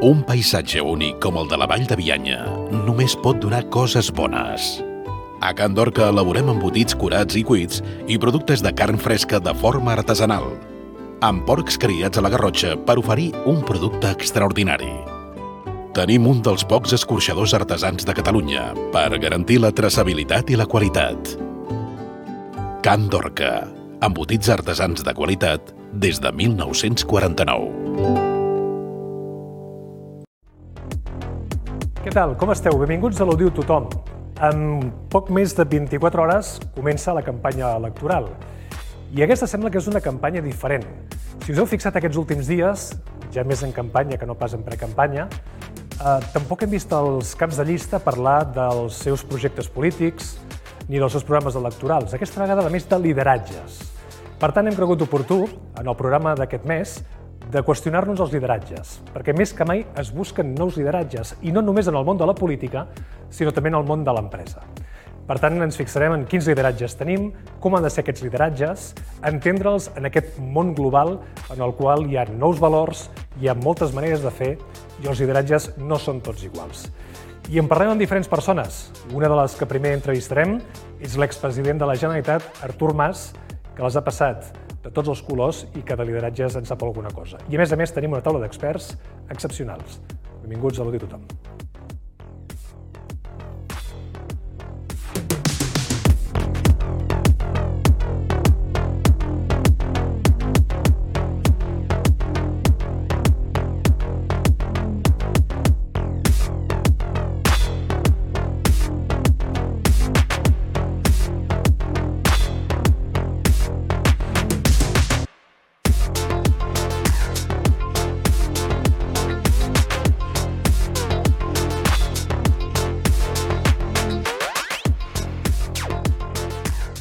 Un paisatge únic com el de la Vall de Bianya només pot donar coses bones. A Can Dorca elaborem embotits curats i cuits i productes de carn fresca de forma artesanal, amb porcs criats a la Garrotxa per oferir un producte extraordinari. Tenim un dels pocs escorxadors artesans de Catalunya per garantir la traçabilitat i la qualitat. Can Dorca, embotits artesans de qualitat des de 1949. Què tal? Com esteu? Benvinguts a l'Ho diu tothom. En poc més de 24 hores comença la campanya electoral. I aquesta sembla que és una campanya diferent. Si us heu fixat aquests últims dies, ja més en campanya que no pas en precampanya, tampoc hem vist els caps de llista parlar dels seus projectes polítics ni dels seus programes electorals. Aquesta vegada, a més, de lideratges. Per tant, hem cregut oportú, en el programa d'aquest mes, de qüestionar-nos els lideratges, perquè més que mai es busquen nous lideratges, i no només en el món de la política, sinó també en el món de l'empresa. Per tant, ens fixarem en quins lideratges tenim, com han de ser aquests lideratges, entendre'ls en aquest món global en el qual hi ha nous valors, hi ha moltes maneres de fer i els lideratges no són tots iguals. I en parlem amb diferents persones. Una de les que primer entrevistarem és l'expresident de la Generalitat, Artur Mas, que les ha passat de tots els colors i que de lideratges en sap alguna cosa. I a més tenim una taula d'experts excepcionals. Benvinguts a l'Ho diu tothom.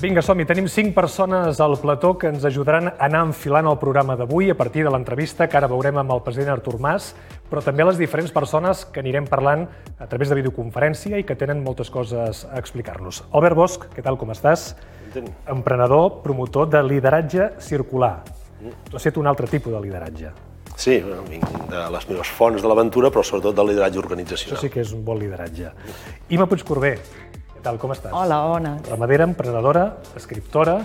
Vinga, som-hi. Tenim 5 persones al plató que ens ajudaran a anar enfilant el programa d'avui a partir de l'entrevista que ara veurem amb el president Artur Mas, però també les diferents persones que anirem parlant a través de videoconferència i que tenen moltes coses a explicar-nos. Albert Bosch, què tal, com estàs? Emprenedor, promotor de lideratge circular. Tu has fet un altre tipus de lideratge. Sí, vinc de les meves fonts de l'aventura, però sobretot del lideratge organitzacional. Això sí que és un bon lideratge. Ima Puigcorbé, tal, com estàs? Hola, bona. Ramadera, emprenedora, escriptora,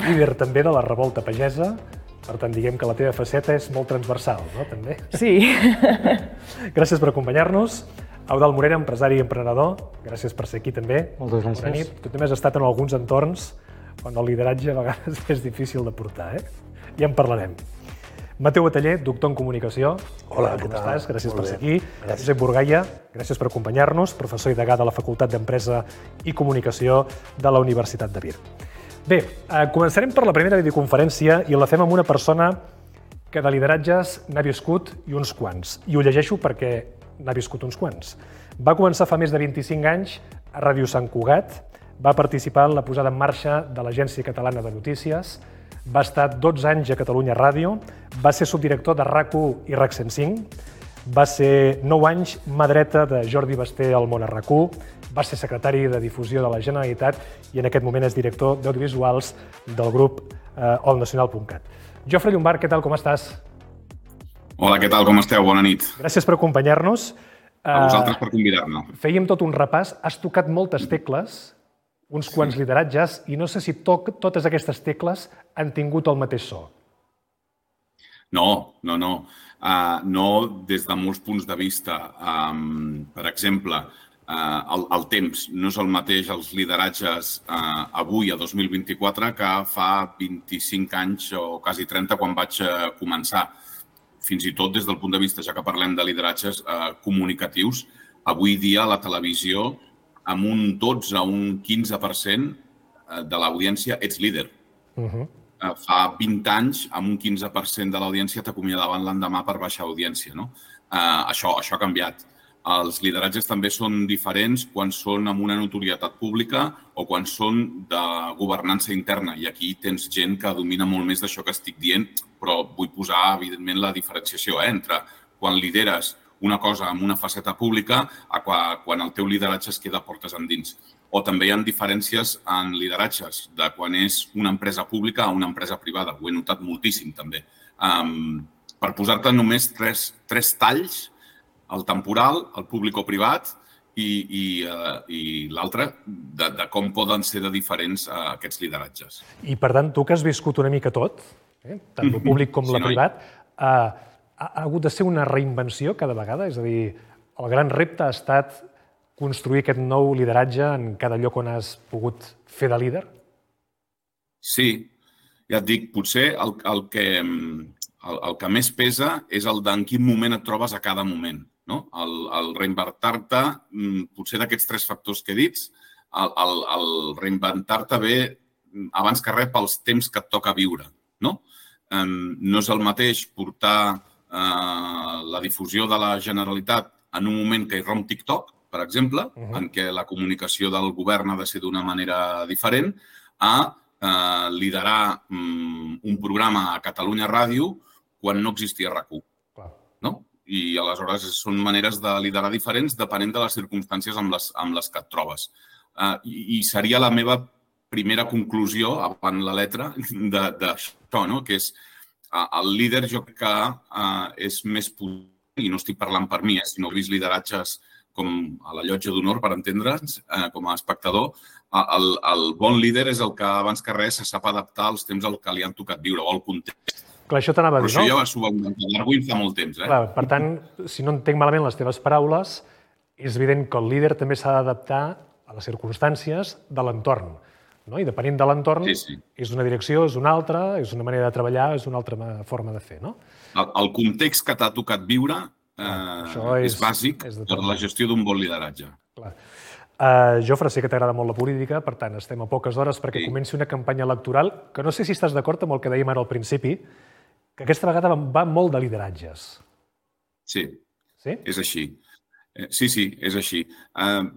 líder també de la revolta pagesa. Per tant, diguem que la teva faceta és molt transversal, no? També. Sí. Gràcies per acompanyar-nos. Eudald Morera, empresari i emprenedor. Gràcies per ser aquí també. Moltes gràcies. Bona nit. Tu també has estat en alguns entorns on el lideratge a vegades és difícil de portar, Ja en parlarem. Mateu Bataller, doctor en comunicació. Hola, com què tal? estàs? Gràcies Molt per ser bé. aquí. Josep Burgaia, gràcies per acompanyar-nos, professor i degà de la Facultat d'Empresa i Comunicació de la Universitat de Vir. Bé, començarem per la primera videoconferència i la fem amb una persona que de lideratges n'ha viscut i uns quants. I ho llegeixo perquè n'ha viscut uns quants. Va començar fa més de 25 anys a Ràdio Sant Cugat, va participar en la posada en marxa de l'Agència Catalana de Notícies, va estar 12 anys a Catalunya Ràdio, va ser subdirector de RAC1 i RAC 105, va ser 9 anys mà dreta de Jordi Basté al món a RAC1, va ser secretari de Difusió de la Generalitat i en aquest moment és director d'audiovisuals del grup allnacional.cat. Jofre Llombart, què tal, com estàs? Hola, què tal, com esteu? Bona nit. Gràcies per acompanyar-nos. A vosaltres per convidar-me. Fèiem tot un repàs, has tocat moltes tecles, uns quants lideratges, i no sé si totes aquestes tecles han tingut el mateix so. No. No des de molts punts de vista. Per exemple, el temps no és el mateix els lideratges avui, a 2024, que fa 25 anys o quasi 30 quan vaig començar. Fins i tot des del punt de vista, ja que parlem de lideratges comunicatius, avui dia la televisió, amb un 12 o un 15% de l'audiència ets líder. Fa 20 anys, amb un 15% de l'audiència t'acomiadaven l'endemà per baixa audiència. Això ha canviat. Els lideratges també són diferents quan són amb una notorietat pública o quan són de governança interna. I aquí tens gent que domina molt més d'això que estic dient, però vull posar, evidentment, la diferenciació entre quan lideres una cosa amb una faceta pública a quan el teu lideratge es queda portes endins. O també hi ha diferències en lideratges de quan és una empresa pública a una empresa privada. Ho he notat moltíssim, també. Per posar-te només tres talls, el temporal, el públic o privat, i l'altre, de com poden ser de diferents aquests lideratges. I, per tant, tu que has viscut una mica tot, tant el públic com la privat, ha hagut de ser una reinvenció cada vegada? És a dir, el gran repte ha estat construir aquest nou lideratge en cada lloc on has pogut fer de líder? Sí, ja et dic, potser el que més pesa és el d'en quin moment et trobes a cada moment. El reinventar-te, potser d'aquests 3 factors que he dit, el reinventar-te ve abans que res pels temps que et toca viure. No és el mateix portar la difusió de la Generalitat en un moment que hi romp TikTok, per exemple, en què la comunicació del govern ha de ser d'una manera diferent, a liderar un programa a Catalunya Ràdio quan no existia RAC1. I aleshores són maneres de liderar diferents depenent de les circumstàncies amb les que et trobes. I seria la meva primera conclusió, avant la letra, d'això, que és el líder, jo crec que és més potent, i no estic parlant per mi, sinó he vist lideratges com a la llotja d'honor, per entendre'ns, com a espectador, el bon líder és el que abans que res se sap adaptar als temps al que li han tocat viure o al context. Clar, això t'anava a dir, no? Però això ja s'ho va inventar Darwin fa molt temps. Clar, per tant, si no entenc malament les teves paraules, és evident que el líder també s'ha d'adaptar a les circumstàncies de l'entorn. I depenent de l'entorn, és una direcció, és una altra, és una manera de treballar, és una altra forma de fer. El context que t'ha tocat viure és bàsic per la gestió d'un bon lideratge. Jofre, sé que t'agrada molt la política, per tant, estem a poques hores perquè comenci una campanya electoral que no sé si estàs d'acord amb el que dèiem ara al principi, que aquesta vegada va molt de lideratges. Sí, és així. Sí, és així.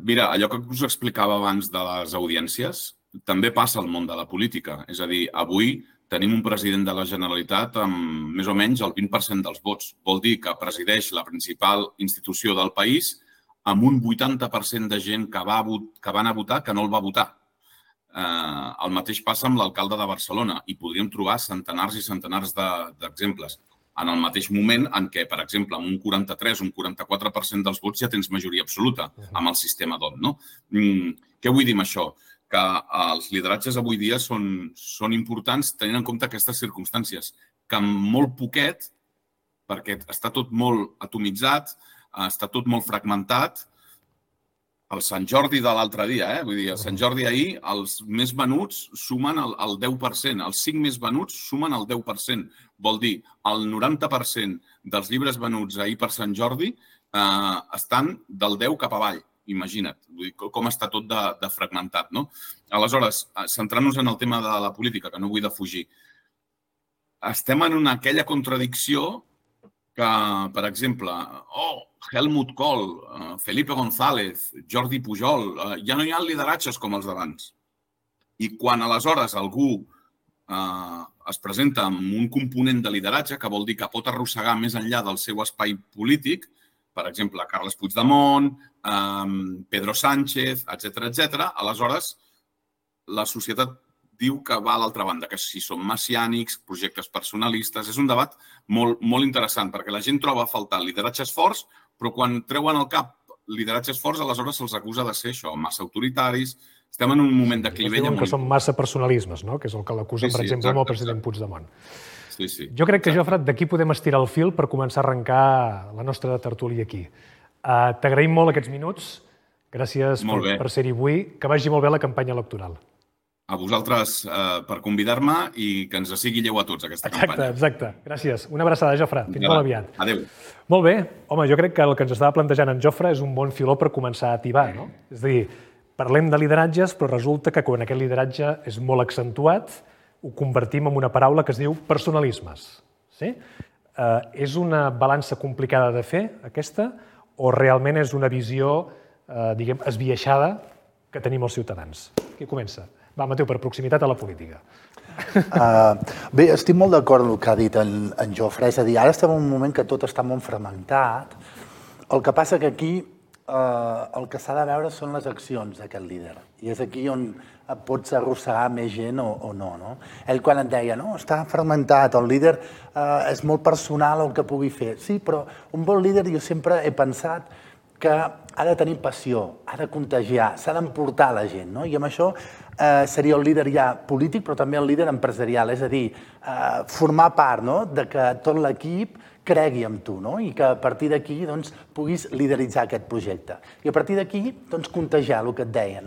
Mira, allò que us explicava abans de les audiències també passa al món de la política. És a dir, avui tenim un president de la Generalitat amb més o menys el 20% dels vots. Vol dir que presideix la principal institució del país amb un 80% de gent que va anar a votar que no el va votar. El mateix passa amb l'alcalde de Barcelona i podríem trobar centenars i centenars d'exemples. En el mateix moment en què, per exemple, amb un 43 o un 44% dels vots ja tens majoria absoluta amb el sistema DOT. Què vull dir amb això? Que els lideratges avui dia són importants tenint en compte aquestes circumstàncies, que amb molt poquet, perquè està tot molt atomitzat, està tot molt fragmentat. El Sant Jordi de l'altre dia, vull dir, el Sant Jordi ahir, els més venuts sumen el 10%, els 5 més venuts sumen el 10%. Vol dir, el 90% dels llibres venuts ahir per Sant Jordi estan del 10 cap avall, imagina't. Vull dir, com està tot de fragmentat, no? Aleshores, centrant-nos en el tema de la política, que no vull defugir, estem en aquella contradicció que, per exemple, Helmut Kohl, Felipe González, Jordi Pujol, ja no hi ha lideratges com els d'abans. I quan aleshores algú es presenta amb un component de lideratge, que vol dir que pot arrossegar més enllà del seu espai polític, per exemple, Carles Puigdemont, Pedro Sánchez, etc., aleshores la societat diu que va a l'altra banda, que si són messiànics, projectes personalistes. És un debat molt interessant, perquè la gent troba a faltar lideratges forts, però quan treuen al cap lideratges forts, aleshores se'ls acusa de ser això, massa autoritaris. Estem en un moment de clivella molt... que són massa personalismes, no? Que és el que l'acusen, per exemple, amb el president Puigdemont. Jo crec que, Jofre, d'aquí podem estirar el fil per començar a arrencar la nostra tertúlia aquí. T'agraïm molt aquests minuts. Gràcies per ser-hi avui. Que vagi molt bé la campanya electoral. A vosaltres per convidar-me i que ens sigui lleu a tots aquesta campanya. Exacte. Gràcies. Una abraçada, Jofre. Fins molt aviat. Adéu. Molt bé. Home, jo crec que el que ens estava plantejant en Jofre és un bon filó per començar a atibar, no? És a dir, parlem de lideratges, però resulta que quan aquest lideratge és molt accentuat, ho convertim en una paraula que es diu personalismes. És una balança complicada de fer, aquesta, o realment és una visió, diguem, esbiaixada que tenim els ciutadans? Qui comença? Va, Mateu, per proximitat a la política. Bé, estic molt d'acord amb el que ha dit en Jofre. És a dir, ara estem en un moment que tot està molt fragmentat. El que passa que aquí el que s'ha de veure són les accions d'aquest líder. I és aquí on pots arrossegar més gent o no. Ell quan et deia, no, està fragmentat, el líder és molt personal el que pugui fer. Sí, però un bon líder jo sempre he pensat que ha de tenir passió, ha de contagiar, s'ha d'emportar la gent. I amb això seria el líder ja polític, però també el líder empresarial, és a dir, formar part de que tot l'equip cregui en tu i que a partir d'aquí puguis lideritzar aquest projecte. I a partir d'aquí contagiar el que et deia.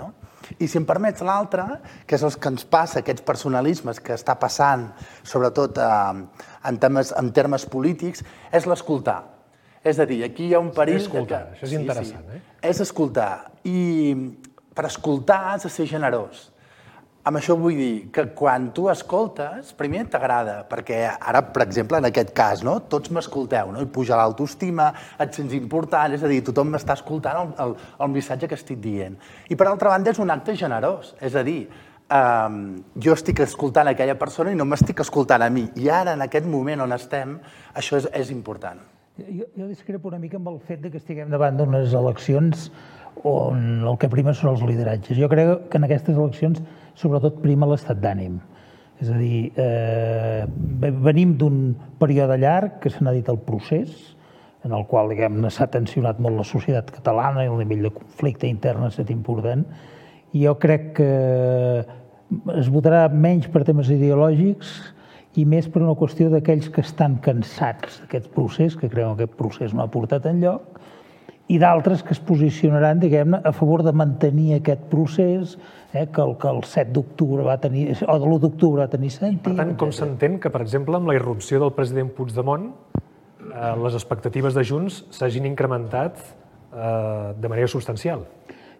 I si em permets l'altre, que és el que ens passa, aquests personalismes que està passant, sobretot en termes polítics, és l'escoltar. És a dir, aquí hi ha un perill... Escoltar, això és interessant, eh? És escoltar. I per escoltar has de ser generós. Amb això vull dir que quan tu escoltes, primer t'agrada, perquè ara, per exemple, en aquest cas, tots m'escolteu, i puja l'autoestima, et sents important, és a dir, tothom m'està escoltant el missatge que estic dient. I per altra banda és un acte generós, és a dir, jo estic escoltant aquella persona i no m'estic escoltant a mi. I ara, en aquest moment on estem, això és important. Jo discrepo una mica amb el fet que estiguem davant d'unes eleccions on el que prima són els lideratges. Jo crec que en aquestes eleccions sobretot prima l'estat d'ànim. És a dir, venim d'un període llarg que se n'ha dit el procés, en el qual s'ha tensionat molt la societat catalana i el nivell de conflicte intern ha estat important. I jo crec que es votarà menys per temes ideològics i més per una qüestió d'aquells que estan cansats d'aquest procés, que creuen que aquest procés no ha portat enlloc, i d'altres que es posicionaran, diguem-ne, a favor de mantenir aquest procés que el 7 d'octubre va tenir, o de l'1 d'octubre va tenir sentit. Per tant, com s'entén que, per exemple, amb la irrupció del president Puigdemont, les expectatives de Junts s'hagin incrementat de manera substancial?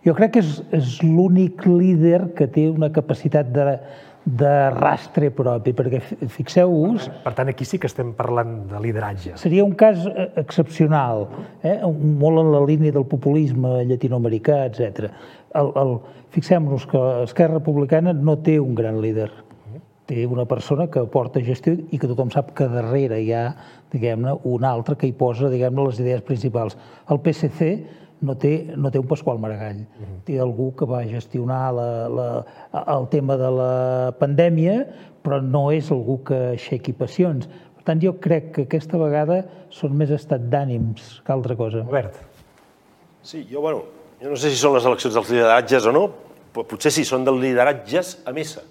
Jo crec que és l'únic líder que té una capacitat de rastre propi, perquè fixeu-vos... Per tant, aquí sí que estem parlant de lideratge. Seria un cas excepcional, molt en la línia del populisme llatinoamericà, etc. Fixem-nos que Esquerra Republicana no té un gran líder. Té una persona que porta gestió i que tothom sap que darrere hi ha, diguem-ne, un altre que hi posa, diguem-ne, les idees principals. El PSC no té un Pasqual Maragall. Té algú que va gestionar el tema de la pandèmia, però no és algú que aixequi passions. Per tant, jo crec que aquesta vegada són més estat d'ànims que altra cosa. Albert. Sí, jo no sé si són les eleccions dels lideratges o no, però potser sí, són dels lideratges a missa,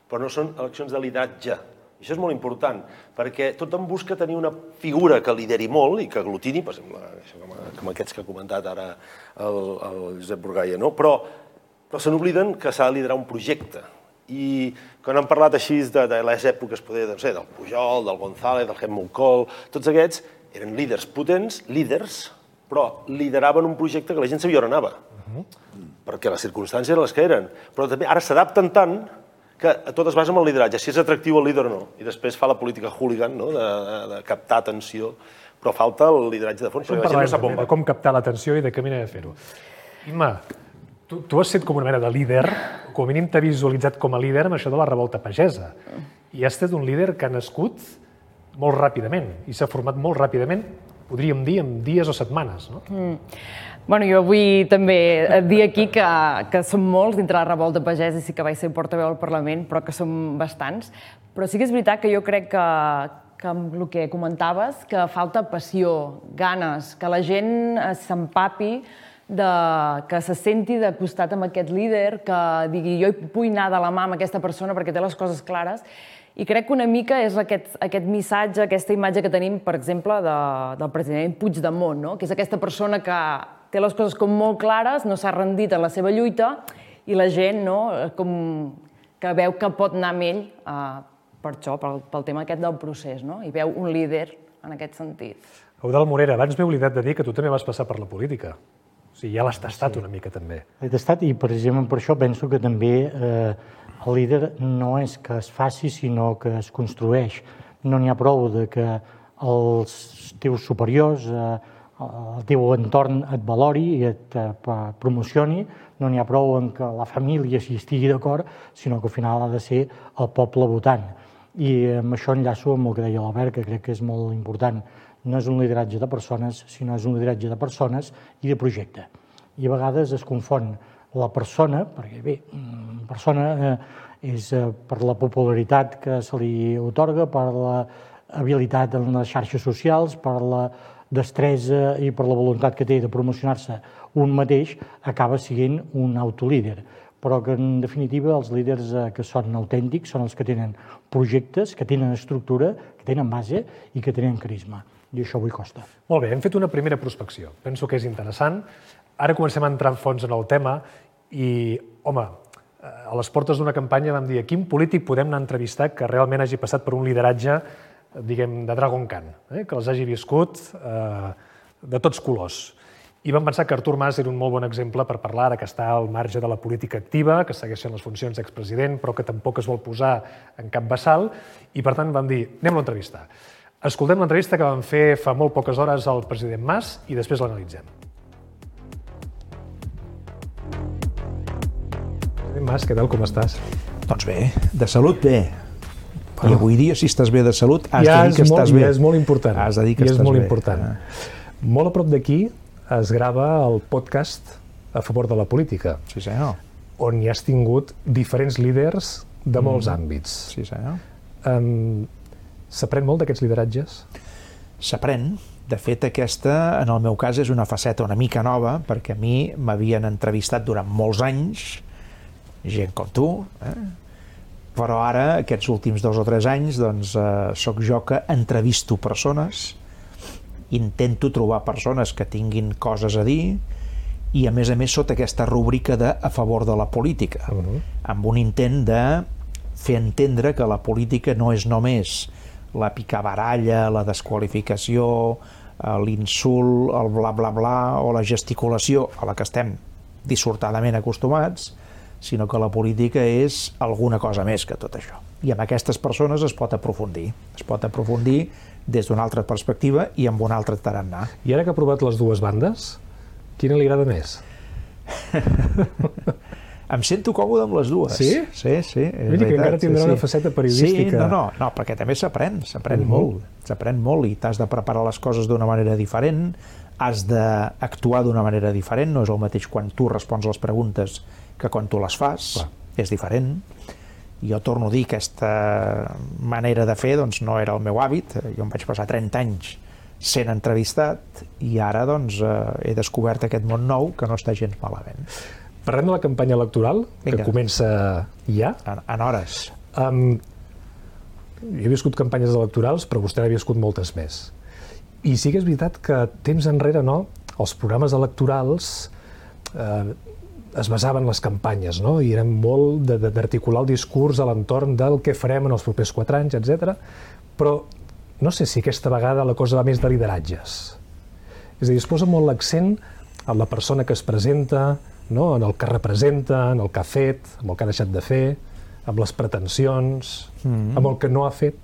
però no són eleccions de lideratge. Això és molt important, perquè tothom busca tenir una figura que lideri molt i que aglutini, per exemple, com aquests que ha comentat ara el Josep Burgaia, però se n'obliden que s'ha de liderar un projecte. I quan han parlat així de les èpoques, del Pujol, del González, del Helmut Kohl, tots aquests eren líders potents, líders, però lideraven un projecte que la gent sabia on anava, perquè les circumstàncies eren les que eren. Però també ara s'adapten tant que tot es basa en el lideratge, si és atractiu el líder o no. I després fa la política hooligan, de captar atenció, però falta el lideratge de fons, perquè la gent no sap on va. De com captar l'atenció i de què manera de fer-ho. Imma, tu has set com una mena de líder, com a mínim t'ha visualitzat com a líder amb això de la revolta pagesa. I has estat un líder que ha nascut molt ràpidament i s'ha format molt ràpidament, podríem dir, en dies o setmanes, no? Bueno, jo vull també dir aquí que som molts dintre la revolta pagesa i sí que vaig ser portaveu al Parlament, però que som bastants. Però sí que és veritat que jo crec que amb el que comentaves, que falta passió, ganes, que la gent s'empapi, que se senti de costat amb aquest líder, que digui jo vull anar de la mà amb aquesta persona perquè té les coses clares. I crec que una mica és aquest missatge, aquesta imatge que tenim, per exemple, del president Puigdemont, que és aquesta persona que té les coses com molt clares, no s'ha rendit en la seva lluita i la gent que veu que pot anar amb ell per això, pel tema aquest del procés, i veu un líder en aquest sentit. Eudald Morera, abans m'he oblidat de dir que tu també vas passar per la política. O sigui, ja l'has tastat una mica també. L'he tastat i precisament per això penso que també el líder no és que es faci, sinó que es construeix. No n'hi ha prou que els teus superiors, el teu entorn et valori i et promocioni, no n'hi ha prou en que la família s'hi estigui d'acord, sinó que al final ha de ser el poble votant. I amb això enllaço amb el que deia l'Albert, que crec que és molt important. No és un lideratge de persones, sinó és un lideratge de persones i de projecte. i a vegades es confon la persona, perquè bé, persona és per la popularitat que se li otorga, per l'habilitat en les xarxes socials, per la destresa i per la voluntat que té de promocionar-se un mateix, acaba sent un autolíder. Però que, en definitiva, els líders que són autèntics són els que tenen projectes, que tenen estructura, que tenen base i que tenen carisma. I això avui costa. Molt bé, hem fet una primera prospecció. Penso que és interessant. Ara comencem a entrar en fons en el tema i, home, a les portes d'una campanya vam dir a quin polític podem anar a entrevistar que realment hagi passat per un lideratge, diguem, de Dragon Khan, que els hagi viscut de tots colors. I vam pensar que Artur Mas era un molt bon exemple per parlar ara que està al marge de la política activa, que segueix fent les funcions d'expresident, però que tampoc es vol posar en cap vessal, i per tant vam dir, anem-lo a entrevistar. Escoltem l'entrevista que vam fer fa molt poques hores al president Mas i després l'analitzem. President Mas, què tal, com estàs? Doncs bé, de salut bé. I avui dia, si estàs bé de salut, has de dir que estàs bé. Ja és molt important. Has de dir que estàs bé. És molt important. Molt a prop d'aquí es grava el podcast A favor de la política. Sí, senyor. On hi has tingut diferents líders de molts àmbits. Sí, senyor. S'aprèn molt d'aquests lideratges? S'aprèn. De fet, aquesta, en el meu cas, és una faceta una mica nova, perquè a mi m'havien entrevistat durant molts anys, gent com tu, però ara, aquests últims 2 o 3 anys, doncs, sóc jo que entrevisto persones, intento trobar persones que tinguin coses a dir i, a més, sota aquesta rúbrica de a favor de la política, amb un intent de fer entendre que la política no és només la picabaralla, la desqualificació, l'insult, el bla bla bla o la gesticulació a la que estem dissortadament acostumats, sinó que la política és alguna cosa més que tot això. I amb aquestes persones es pot aprofundir. Es pot aprofundir des d'una altra perspectiva i amb un altre tarannà. I ara que ha provat les dues bandes, quina li agrada més? Em sento còmode amb les dues. Sí? Sí. Vull dir que encara tindrà una faceta periodística. Sí, no, perquè també s'aprèn molt. S'aprèn molt i t'has de preparar les coses d'una manera diferent, has d'actuar d'una manera diferent, no és el mateix quan tu respons les preguntes que quan tu les fas, és diferent. Jo torno a dir que aquesta manera de fer doncs, no era el meu hàbit, jo em vaig passar 30 anys sent entrevistat i ara doncs, he descobert aquest món nou que no està gens malament. Parlem de la campanya electoral, que comença ja. En hores. Jo he viscut campanyes electorals, però vostè n'ha viscut moltes més. I sí que és veritat que temps enrere, els programes electorals es basaven en les campanyes, i eren molt d'articular el discurs a l'entorn del que farem en els propers 4 anys, etc. Però no sé si aquesta vegada la cosa va més de lideratges. És a dir, es posa molt l'accent en la persona que es presenta, en el que representa, en el que ha fet, en el que ha deixat de fer, amb les pretensions, amb el que no ha fet.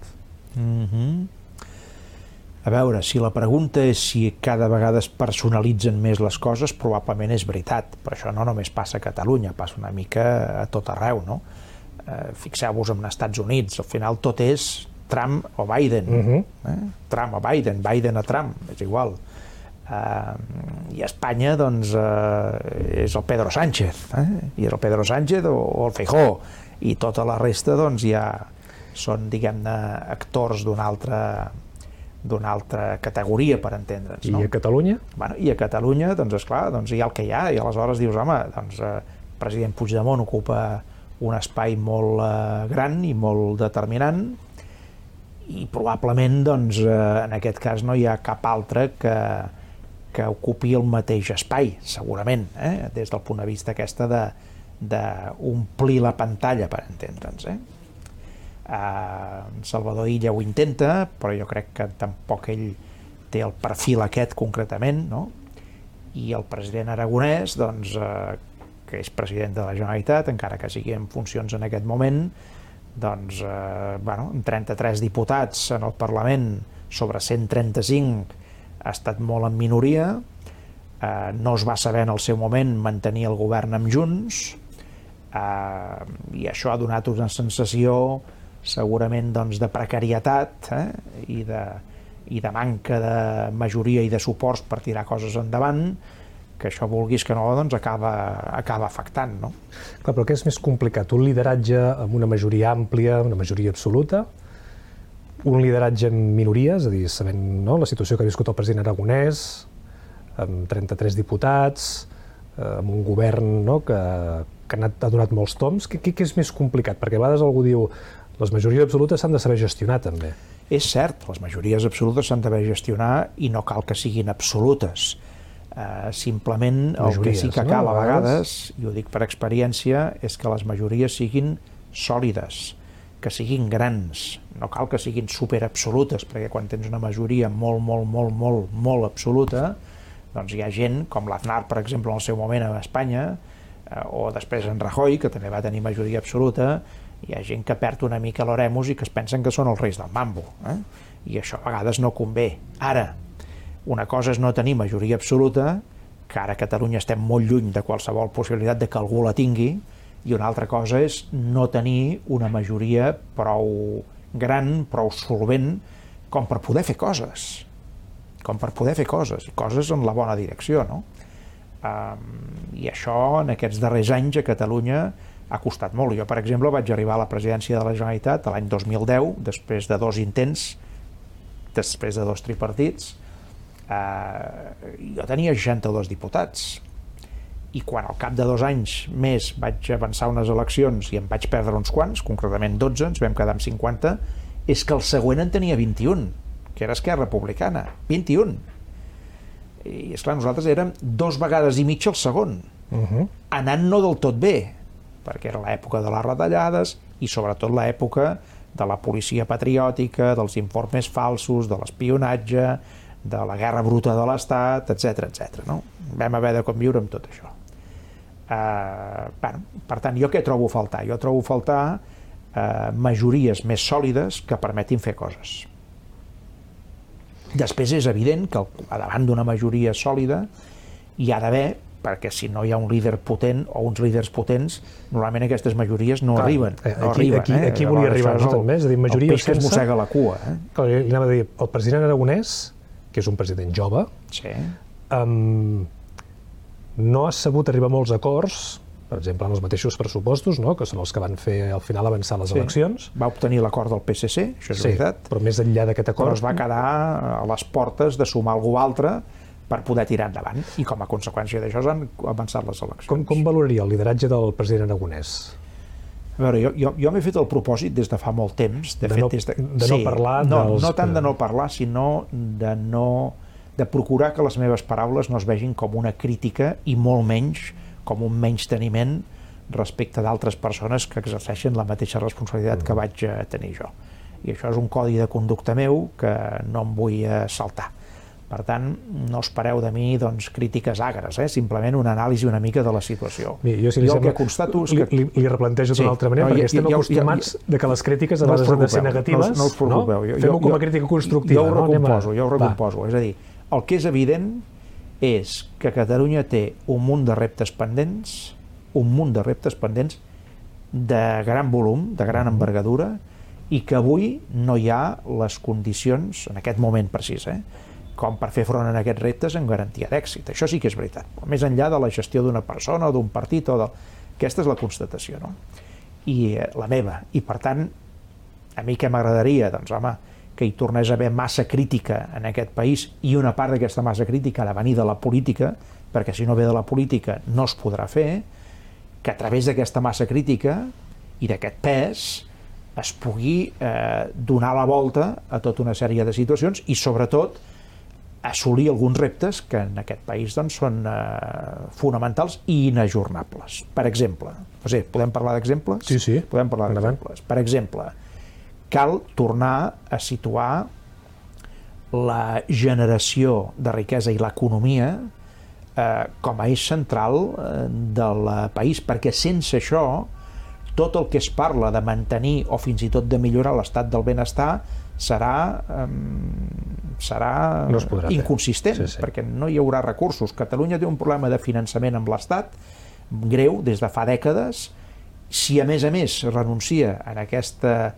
A veure, si la pregunta és si cada vegada es personalitzen més les coses, probablement és veritat, però això no només passa a Catalunya, passa una mica a tot arreu, no? Fixeu-vos en els Estats Units, al final tot és Trump o Biden, Trump o Biden, Biden a Trump, és igual. I a Espanya, doncs, és el Pedro Sánchez, i és el Pedro Sánchez o el Feijóo, i tota la resta, doncs, ja són, diguem-ne, actors d'una altra categoria, per entendre'ns. I a Catalunya? I a Catalunya, doncs, esclar, hi ha el que hi ha, i aleshores dius, home, doncs, el president Puigdemont ocupa un espai molt gran i molt determinant, i probablement, doncs, en aquest cas no hi ha cap altre que ocupi el mateix espai, segurament, des del punt de vista aquesta d'omplir la pantalla, per entendre'ns, Salvador Illa ho intenta, però jo crec que tampoc ell té el perfil aquest concretament, i el president aragonès, doncs, que és president de la Generalitat, encara que sigui en funcions en aquest moment, doncs, amb 33 diputats en el Parlament sobre 135 ha estat molt en minoria, no es va saber en el seu moment mantenir el govern amb Junts, i això ha donat una sensació segurament de precarietat i de manca de majoria i de suports per tirar coses endavant, que això vulguis que no, doncs acaba afectant, no? Clar, però què és més complicat? Un lideratge amb una majoria àmplia, una majoria absoluta, un lideratge amb minories, és a dir, sabent la situació que ha viscut el president Aragonès, amb 33 diputats, amb un govern que ha donat molts toms. Què és més complicat? Perquè a vegades algú diu les majories absolutes s'han de saber gestionar, també. És cert, les majories absolutes s'han d'haver gestionar i no cal que siguin absolutes. Simplement el que sí que cal a vegades, i ho dic per experiència, és que les majories siguin sòlides, que siguin grans. No cal que siguin superabsolutes, perquè quan tens una majoria molt absoluta, doncs hi ha gent, com l'Aznar, per exemple, en el seu moment a Espanya, o després en Rajoy, que també va tenir majoria absoluta, hi ha gent que perd una mica l'oremus i que es pensen que són els reis del mambo. I això a vegades no convé. Ara, una cosa és no tenir majoria absoluta, que ara a Catalunya estem molt lluny de qualsevol possibilitat de que algú la tingui, i una altra cosa és no tenir una majoria prou gran, prou solvent, com per poder fer coses. Coses en la bona direcció, no? I això, en aquests darrers anys, a Catalunya ha costat molt. Jo, per exemple, vaig arribar a la presidència de la Generalitat l'any 2010, després de 2 intents, després de 2 tripartits. Jo tenia 62 diputats. I quan al cap de 2 anys més vaig avançar unes eleccions i em vaig perdre uns quants, concretament 12, ens vam quedar amb 50, és que el següent en tenia 21, que era Esquerra Republicana. 21. I esclar, nosaltres érem 2 vegades i mitja el segon, anant no del tot bé, perquè era l'època de les retallades i sobretot l'època de la policia patriòtica, dels informes falsos, de l'espionatge, de la guerra bruta de l'Estat, etc. No? Vam haver de conviure amb tot això. Per tant, jo què trobo a faltar? Jo trobo a faltar majories més sòlides que permetin fer coses. Després és evident que davant d'una majoria sòlida hi ha d'haver, perquè si no hi ha un líder potent o uns líders potents, normalment aquestes majories no arriben. Aquí volia arribar, també, és a dir, majoria sense... El peix que es mossega la cua. Li anava a dir, el president Aragonès, que és un president jove, no ha sabut arribar a molts acords, per exemple, en els mateixos pressupostos, que són els que van fer al final avançar les eleccions. Va obtenir l'acord del PSC, això és veritat. Però més enllà d'aquest acord... Però es va quedar a les portes de sumar algú altre per poder tirar endavant, i com a conseqüència d'això s'han avançat les eleccions. Com valoraria el lideratge del president Aragonès? A veure, jo m'he fet el propòsit des de fa molt temps, de no parlar dels... No tant de no parlar, sinó de procurar que les meves paraules no es vegin com una crítica i molt menys com un menysteniment respecte d'altres persones que exerceixen la mateixa responsabilitat que vaig tenir jo. I això és un codi de conducta meu que no em vull saltar. Per tant, no espereu de mi crítiques agres, simplement una anàlisi una mica de la situació. Jo el que constato és que... Li replantejo d'una altra manera, perquè estem acostumats que les crítiques a vegades han de ser negatives. No us preocupeu. Fem-ho com a crítica constructiva. Jo ho recomposo. És a dir, el que és evident és que Catalunya té un munt de reptes pendents, de gran volum, de gran envergadura, i que avui no hi ha les condicions, en aquest moment precís, com per fer front a aquests reptes amb garantia d'èxit. Això sí que és veritat. Més enllà de la gestió d'una persona o d'un partit, aquesta és la constatació, no? I la meva. I per tant, a mi què m'agradaria? Doncs, home, que hi tornés a haver massa crítica en aquest país, i una part d'aquesta massa crítica ha de venir de la política, perquè si no ve de la política no es podrà fer, que a través d'aquesta massa crítica i d'aquest pes es pugui donar la volta a tota una sèrie de situacions i sobretot assolir alguns reptes que en aquest país són fonamentals i inajornables. Per exemple, podem parlar d'exemples? Sí. Podem parlar d'exemples. Per exemple, cal tornar a situar la generació de riquesa i l'economia com a eix central del país, perquè sense això tot el que es parla de mantenir o fins i tot de millorar l'estat del benestar serà inconsistent, perquè no hi haurà recursos. Catalunya té un problema de finançament amb l'Estat greu des de fa dècades. Si a més renuncia a aquesta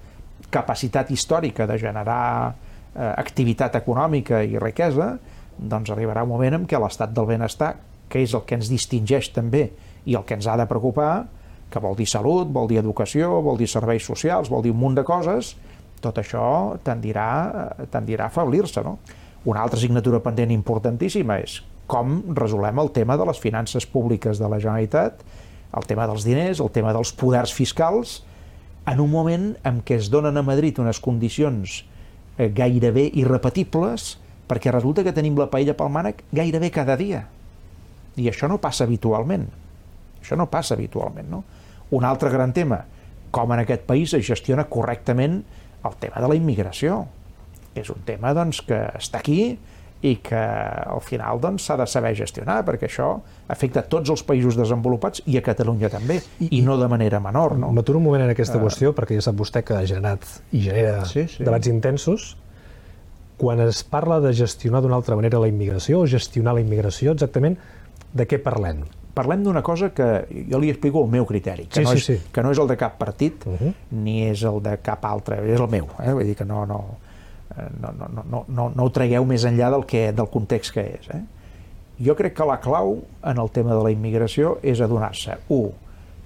capacitat històrica de generar activitat econòmica i riquesa, doncs arribarà un moment en què l'estat del benestar, que és el que ens distingeix també i el que ens ha de preocupar, que vol dir salut, vol dir educació, vol dir serveis socials, vol dir un munt de coses, tot això tendirà a afeblir-se, no? Una altra assignatura pendent importantíssima és com resolem el tema de les finances públiques de la Generalitat, el tema dels diners, el tema dels poders fiscals, en un moment en què es donen a Madrid unes condicions gairebé irrepetibles, perquè resulta que tenim la paella pel mànec gairebé cada dia. I això no passa habitualment. Això no passa habitualment, no? Un altre gran tema, com en aquest país es gestiona correctament el tema de la immigració. És un tema doncs, que està aquí i que al final s'ha de saber gestionar, perquè això afecta a tots els països desenvolupats i a Catalunya també, i no de manera menor. No? M'aturo un moment en aquesta qüestió, perquè ja sap vostè que ha generat i genera debats intensos. Quan es parla de gestionar d'una altra manera la immigració o gestionar la immigració, exactament de què parlem? Parlem d'una cosa que jo li explico el meu criteri, que no és el de cap partit, ni és el de cap altre, és el meu. Vull dir que no ho tragueu més enllà del context que és. Jo crec que la clau en el tema de la immigració és adonar-se,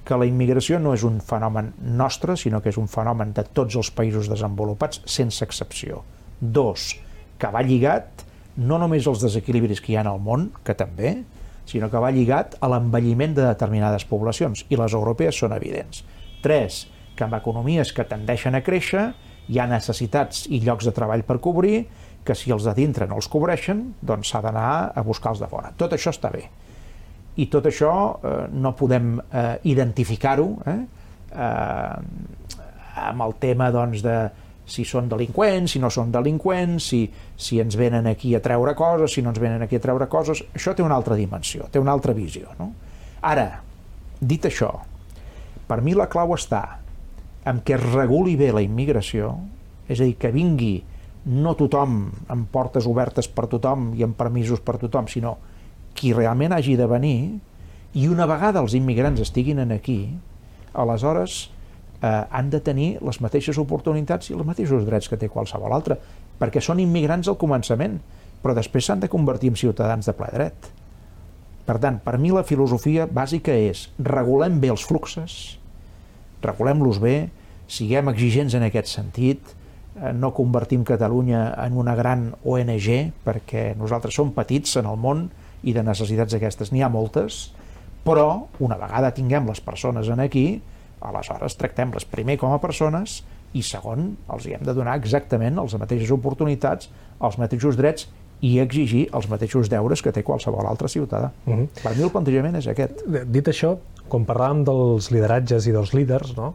que la immigració no és un fenomen nostre, sinó que és un fenomen de tots els països desenvolupats, sense excepció. 2, que va lligat no només als desequilibris que hi ha al món, que també, sinó que va lligat a l'envelliment de determinades poblacions, i les europees són evidents. 3, que en economies que tendeixen a créixer hi ha necessitats i llocs de treball per cobrir, que si els de dintre no els cobreixen, doncs s'ha d'anar a buscar els de fora. Tot això està bé. I tot això no podem identificar-ho amb el tema de si són delinqüents, si no són delinqüents, si ens venen aquí a treure coses, si no ens venen aquí a treure coses. Això té una altra dimensió, té una altra visió. No? Ara, dit això, per mi la clau està en què es reguli bé la immigració, és a dir, que vingui no tothom amb portes obertes per tothom i amb permisos per tothom, sinó qui realment hagi de venir, i una vegada els immigrants estiguin aquí, aleshores han de tenir les mateixes oportunitats i els mateixos drets que té qualsevol altre, perquè són immigrants al començament, però després s'han de convertir en ciutadans de ple dret. Per tant, per mi la filosofia bàsica és regulem bé els fluxos, regulem-los bé, siguem exigents en aquest sentit, no convertim Catalunya en una gran ONG, perquè nosaltres som petits en el món i de necessitats aquestes n'hi ha moltes, però una vegada tinguem les persones aquí, aleshores tractem-les primer com a persones i segon, els hi hem de donar exactament les mateixes oportunitats, els mateixos drets i exigir els mateixos deures que té qualsevol altre ciutadà. Per mi el plantejament és aquest. Dit això, quan parlàvem dels lideratges i dels líders, no?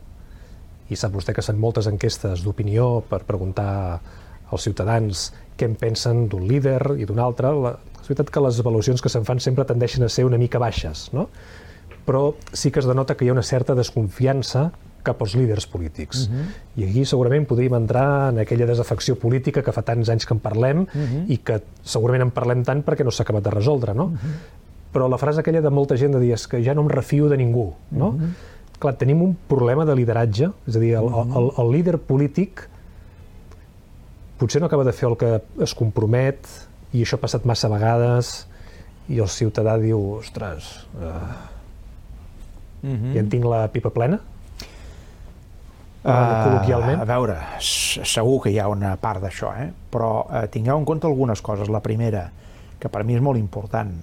I sap vostè que són moltes enquestes d'opinió per preguntar als ciutadans què en pensen d'un líder i d'un altre, és veritat que les avaluacions que se'n fan sempre tendeixen a ser una mica baixes, no? Però sí que es denota que hi ha una certa desconfiança cap als líders polítics. I aquí segurament podríem entrar en aquella desafecció política que fa tants anys que en parlem i que segurament en parlem tant perquè no s'ha acabat de resoldre, no? Però la frase aquella de molta gent de dir és que ja no em refio de ningú, no? Clar, tenim un problema de lideratge, és a dir, el líder polític potser no acaba de fer el que es compromet i això ha passat massa vegades i el ciutadà diu, ostres, ja en tinc la pipa plena? Col·loquialment? A veure, segur que hi ha una part d'això, però tingueu en compte algunes coses. La primera, que per mi és molt important,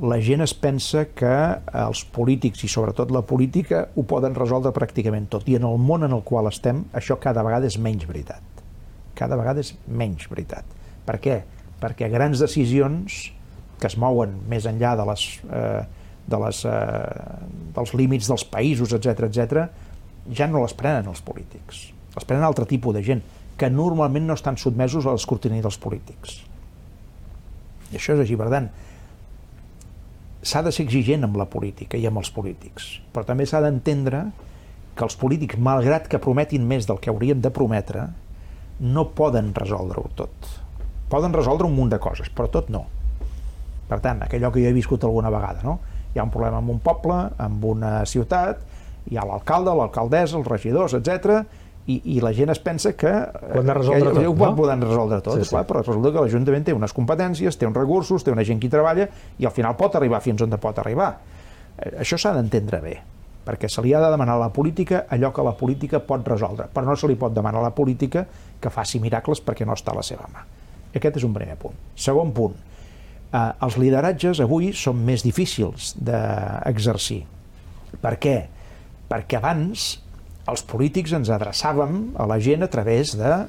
la gent es pensa que els polítics i sobretot la política ho poden resoldre pràcticament tot, i en el món en el qual estem això cada vegada és menys veritat. Cada vegada és menys veritat. Per què? Perquè grans decisions que es mouen més enllà dels límits dels països, etc., ja no les prenen els polítics. Les prenen altre tipus de gent, que normalment no estan sotmesos a l'escrutini dels polítics. I això és així, per tant, s'ha de ser exigent amb la política i amb els polítics, però també s'ha d'entendre que els polítics, malgrat que prometin més del que haurien de prometre, no poden resoldre-ho tot. Poden resoldre un munt de coses, però tot no. Per tant, allò que jo he viscut alguna vegada, no? Hi ha un problema amb un poble, amb una ciutat, hi ha l'alcalde, l'alcaldessa, els regidors, etc. I la gent es pensa que ho poden resoldre tot, clar, però resulta que l'Ajuntament té unes competències, té uns recursos, té una gent que hi treballa i al final pot arribar fins on pot arribar. Això s'ha d'entendre bé, perquè se li ha de demanar a la política allò que la política pot resoldre, però no se li pot demanar a la política que faci miracles perquè no està a la seva mà. Aquest és un primer punt. Segon punt, els lideratges avui són més difícils d'exercir. Per què? Perquè abans els polítics ens adreçàvem a la gent a través de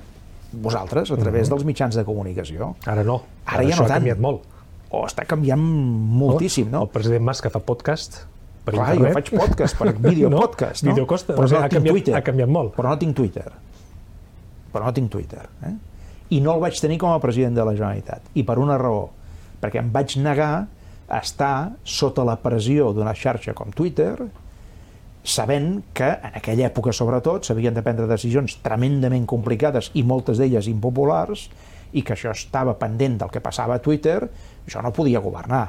vosaltres, a través dels mitjans de comunicació. Ara no. Ara ja no tant. Ha canviat molt. O està canviant moltíssim, no? El president Mas que fa podcast per internet. Clar, jo faig podcast, per videopodcast, no? Però no tinc Twitter. Ha canviat molt. Però no tinc Twitter. I no el vaig tenir com a president de la Generalitat. I per una raó. Perquè em vaig negar a estar sota la pressió d'una xarxa com Twitter, sabent que en aquella època, sobretot, s'havien de prendre decisions tremendament complicades i moltes d'elles impopulars, i que això estava pendent del que passava a Twitter, jo no podia governar.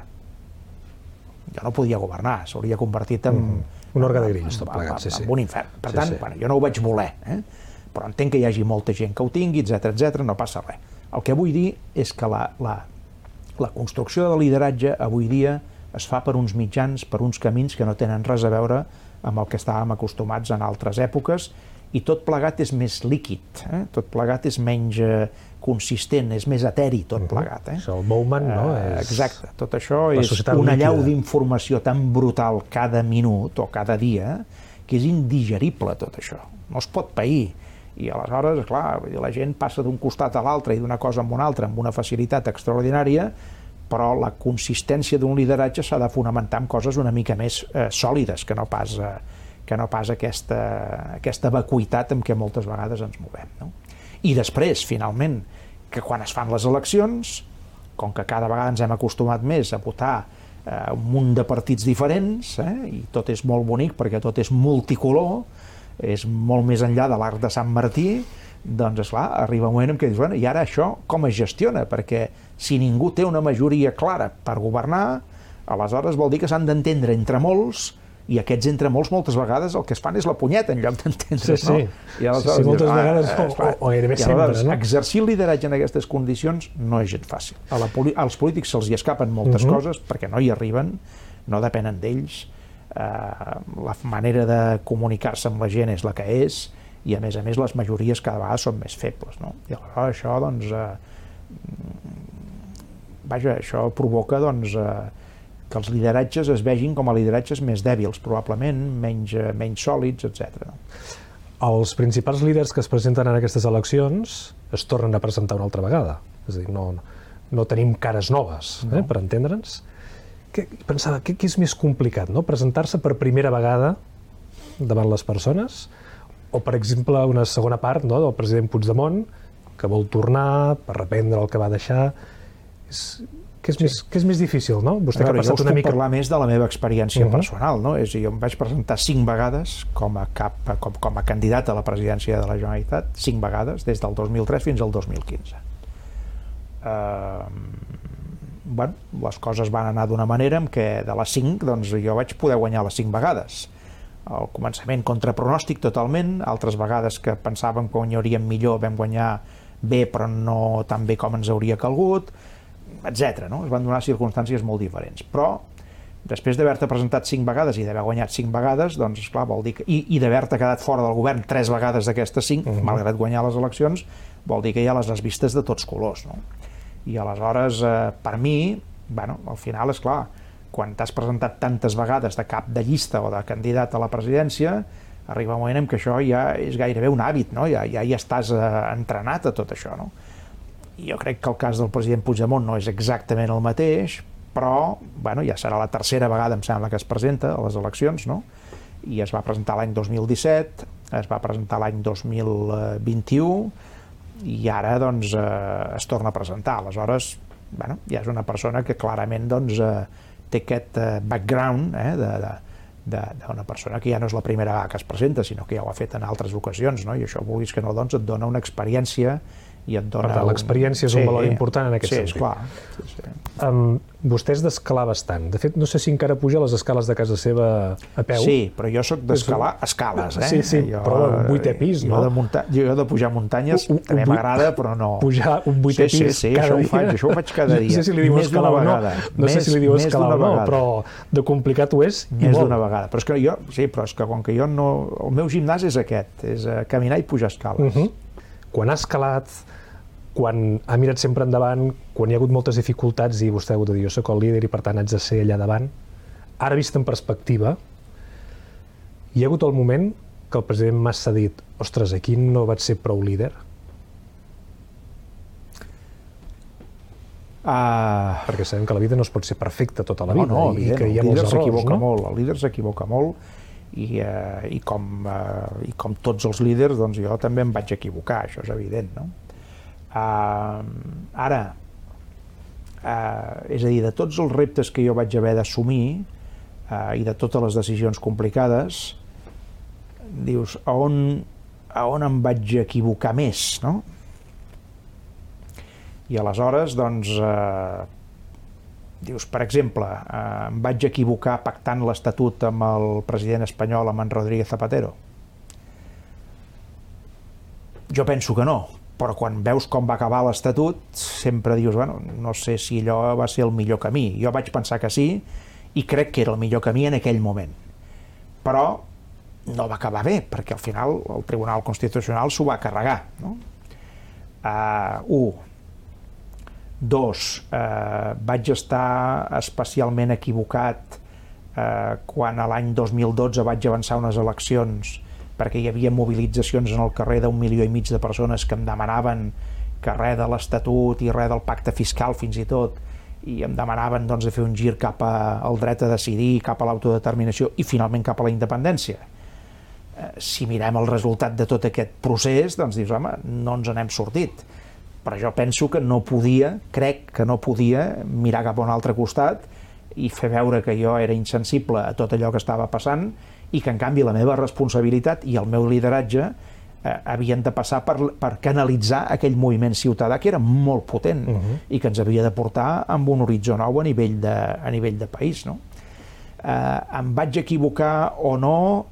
S'hauria convertit en... un orgue de grills, tot plegat, en un infern. Per tant, jo no ho vaig voler, però entenc que hi hagi molta gent que ho tingui, etc, no passa res. El que vull dir és que la construcció de lideratge avui dia es fa per uns mitjans, per uns camins que no tenen res a veure amb el que estàvem acostumats en altres èpoques, i tot plegat és més líquid, tot plegat és menys consistent, és més eteri tot plegat. El Bowman, no? Exacte, tot això és una allau d'informació tan brutal cada minut o cada dia que és indigerible tot això, no es pot pair. I aleshores, clar, la gent passa d'un costat a l'altre i d'una cosa a una altra amb una facilitat extraordinària, però la consistència d'un lideratge s'ha de fonamentar en coses una mica més sòlides que no pas aquesta vacuïtat amb què moltes vegades ens movem. No? I després, finalment, que quan es fan les eleccions, com que cada vegada ens hem acostumat més a votar un munt de partits diferents, i tot és molt bonic perquè tot és multicolor, és molt més enllà de l'arc de Sant Martí, doncs, esclar, arriba un moment en què dius, bueno, i ara això com es gestiona? Perquè si ningú té una majoria clara per governar, aleshores vol dir que s'han d'entendre entre molts, i aquests entre molts moltes vegades el que es fan és la punyeta en lloc d'entendre's, no? I aleshores moltes vegades, o gairebé sempre, no? Exercir el lideratge en aquestes condicions no és gens fàcil. Als polítics se'ls hi escapen moltes coses perquè no hi arriben, no depenen d'ells, la manera de comunicar-se amb la gent és la que és, i a més les majories cada vegada són més febles, no? I aleshores això, doncs, això provoca, doncs, que els lideratges es vegin com a lideratges més dèbils, probablement, menys sòlids, etc. Els principals líders que es presenten en aquestes eleccions es tornen a presentar una altra vegada. És a dir, no tenim cares noves, per entendre'ns. Pensava, què és més complicat, no? Presentar-se per primera vegada davant les persones, o, per exemple, una segona part del president Puigdemont, que vol tornar per reprendre el que va deixar. Què és més difícil, no? Vostè que ha passat una mica... Jo us puc parlar més de la meva experiència personal, no? Jo em vaig presentar 5 vegades com a candidat a la presidència de la Generalitat, 5 vegades, des del 2003 fins al 2015. Les coses van anar d'una manera en què de les 5 doncs, jo vaig poder guanyar les 5 vegades. Al començament contra pronòstic totalment, altres vegades que pensàvem que guanyaríem millor vam guanyar bé però no tan bé com ens hauria calgut, etc. No? Es van donar circumstàncies molt diferents. Però després d'haver-te presentat 5 vegades i d'haver guanyat 5 vegades, doncs esclar, vol dir que, i d'haver-te quedat fora del govern 3 vegades d'aquestes 5, malgrat guanyar les eleccions, vol dir que ja les has vistes de tots colors, no? I aleshores, per mi, al final, esclar, quan t'has presentat tantes vegades de cap de llista o de candidat a la presidència, arriba un moment en què això ja és gairebé un hàbit, no? Ja estàs entrenat a tot això, no? I jo crec que el cas del president Puigdemont no és exactament el mateix, però ja serà la tercera vegada, em sembla, que es presenta a les eleccions, no? I es va presentar l'any 2017, es va presentar l'any 2021, i ara doncs es torna a presentar. Aleshores, ja és una persona que clarament doncs té aquest background d'una persona que ja no és la primera vegada que es presenta, sinó que ja ho ha fet en altres ocasions, no? I això, vulguis que no, doncs et dona una experiència i et dona... Per tant, l'experiència és un valor important en aquest sentit. Sí, esclar. Vostè és d'escalar bastant. De fet, no sé si encara puja les escales de casa seva a peu. Sí, però jo sóc d'escalar escales, Sí, però un 8è pis, no? Jo de pujar muntanyes també m'agrada, però no... Pujar un 8è pis cada dia. Això ho faig cada dia. No sé si li diu escalar o no, però de complicat ho és i més molt. D'una vegada. Però és que jo, sí, però és que com que jo no... El meu gimnàs és aquest, és caminar i pujar escales. Quan ha escalat, quan ha mirat sempre endavant, quan hi ha hagut moltes dificultats i vostè ha hagut de dir jo soc el líder i per tant haig de ser allà davant, ara vist en perspectiva, hi ha hagut el moment que el president Mas s'ha dit ostres, aquí no vaig ser prou líder? Perquè sabem que la vida no es pot ser perfecta tota la vida i que hi ha molts errors, no? El líder s'equivoca molt i com tots els líders, doncs jo també em vaig equivocar, això és evident, no? Ara, és a dir, de tots els reptes que jo vaig haver d'assumir i de totes les decisions complicades, dius, a on em vaig equivocar més, no? I aleshores, doncs, dius, per exemple, em vaig equivocar pactant l'Estatut amb el president espanyol, amb en Rodríguez Zapatero? Jo penso que no, però quan veus com va acabar l'Estatut, sempre dius, bueno, no sé si allò va ser el millor camí. Jo vaig pensar que sí, i crec que era el millor camí en aquell moment. Però no va acabar bé, perquè al final el Tribunal Constitucional s'ho va carregar, no? Vaig estar especialment equivocat quan a l'any 2012 vaig avançar unes eleccions perquè hi havia mobilitzacions en el carrer d'1,5 milió de persones que em demanaven que res de l'Estatut i res del pacte fiscal fins i tot, i em demanaven doncs, de fer un gir cap al dret a decidir, cap a l'autodeterminació i finalment cap a la independència. Si mirem el resultat de tot aquest procés, doncs dius, home, no ens n'hem sortit. Però jo penso que no podia, crec que no podia mirar cap a un altre costat i fer veure que jo era insensible a tot allò que estava passant i que en canvi la meva responsabilitat i el meu lideratge havien de passar per canalitzar aquell moviment ciutadà que era molt potent i que ens havia de portar amb un horitzó nou a nivell de país, no? Em vaig equivocar o no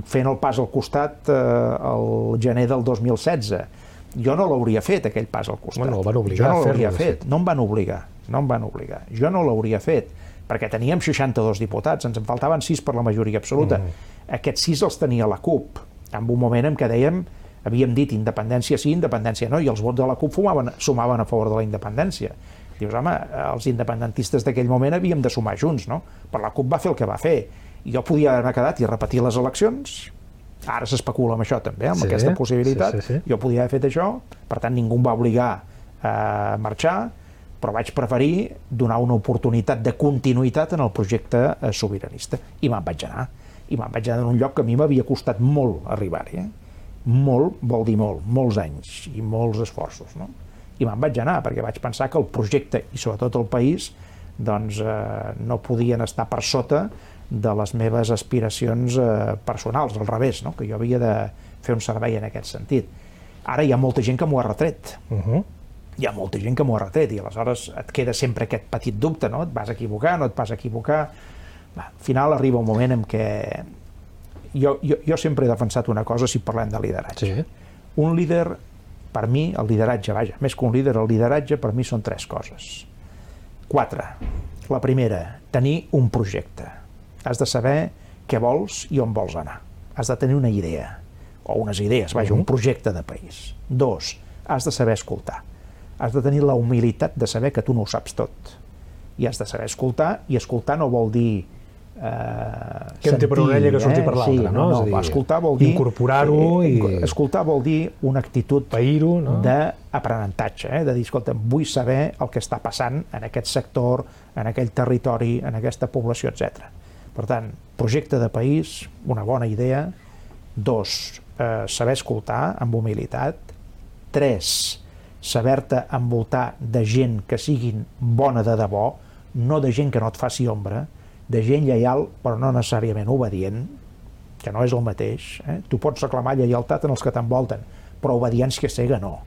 fent el pas al costat el gener del 2016. Jo no l'hauria fet, aquell pas al costat. Bueno, el van obligar a fer-lo. No em van obligar. Jo no l'hauria fet, perquè teníem 62 diputats, ens en faltaven 6 per la majoria absoluta. Aquests 6 els tenia la CUP, en un moment en què havíem dit independència sí, independència no, i els vots de la CUP sumaven a favor de la independència. Dius, home, els independentistes d'aquell moment havíem de sumar junts, no? Però la CUP va fer el que va fer. I jo podia haver quedat i repetir les eleccions. Ara s'especula amb això també, amb aquesta possibilitat. Jo podia haver fet això, per tant ningú em va obligar a marxar, però vaig preferir donar una oportunitat de continuïtat en el projecte sobiranista. I me'n vaig anar. I me'n vaig anar en un lloc que a mi m'havia costat molt arribar-hi. Molt vol dir molt, molts anys i molts esforços, no? I me'n vaig anar perquè vaig pensar que el projecte i sobretot el país doncs no podien estar per sota de les meves aspiracions personals, al revés, no? Que jo havia de fer un servei en aquest sentit. Ara hi ha molta gent que m'ho ha retret. Hi ha molta gent que m'ho ha retret i aleshores et queda sempre aquest petit dubte, no? Et vas equivocar, no et vas equivocar. Al final arriba un moment en què jo sempre he defensat una cosa si parlem de lideratge. Un líder, per mi, el lideratge, vaja, més que un líder, el lideratge per mi són 3 coses. 4. La primera, tenir un projecte. Has de saber què vols i on vols anar. Has de tenir una idea, o unes idees, vaja, un projecte de país. 2. Has de saber escoltar. Has de tenir la humilitat de saber que tu no ho saps tot. I has de saber escoltar, i escoltar no vol dir que entri per una orella que surti per l'altra, no? Escoltar vol dir... Incorporar-ho i... Escoltar vol dir una actitud d'aprenentatge, de dir, escolta, vull saber el que està passant en aquest sector, en aquell territori, en aquesta població, etc. Per tant, projecte de país, una bona idea. 2, saber escoltar amb humilitat. 3, saber-te envoltar de gent que siguin bona de debò, no de gent que no et faci ombra, de gent lleial però no necessàriament obedient, que no és el mateix. Tu pots reclamar lleialtat en els que t'envolten, però obediència cega no,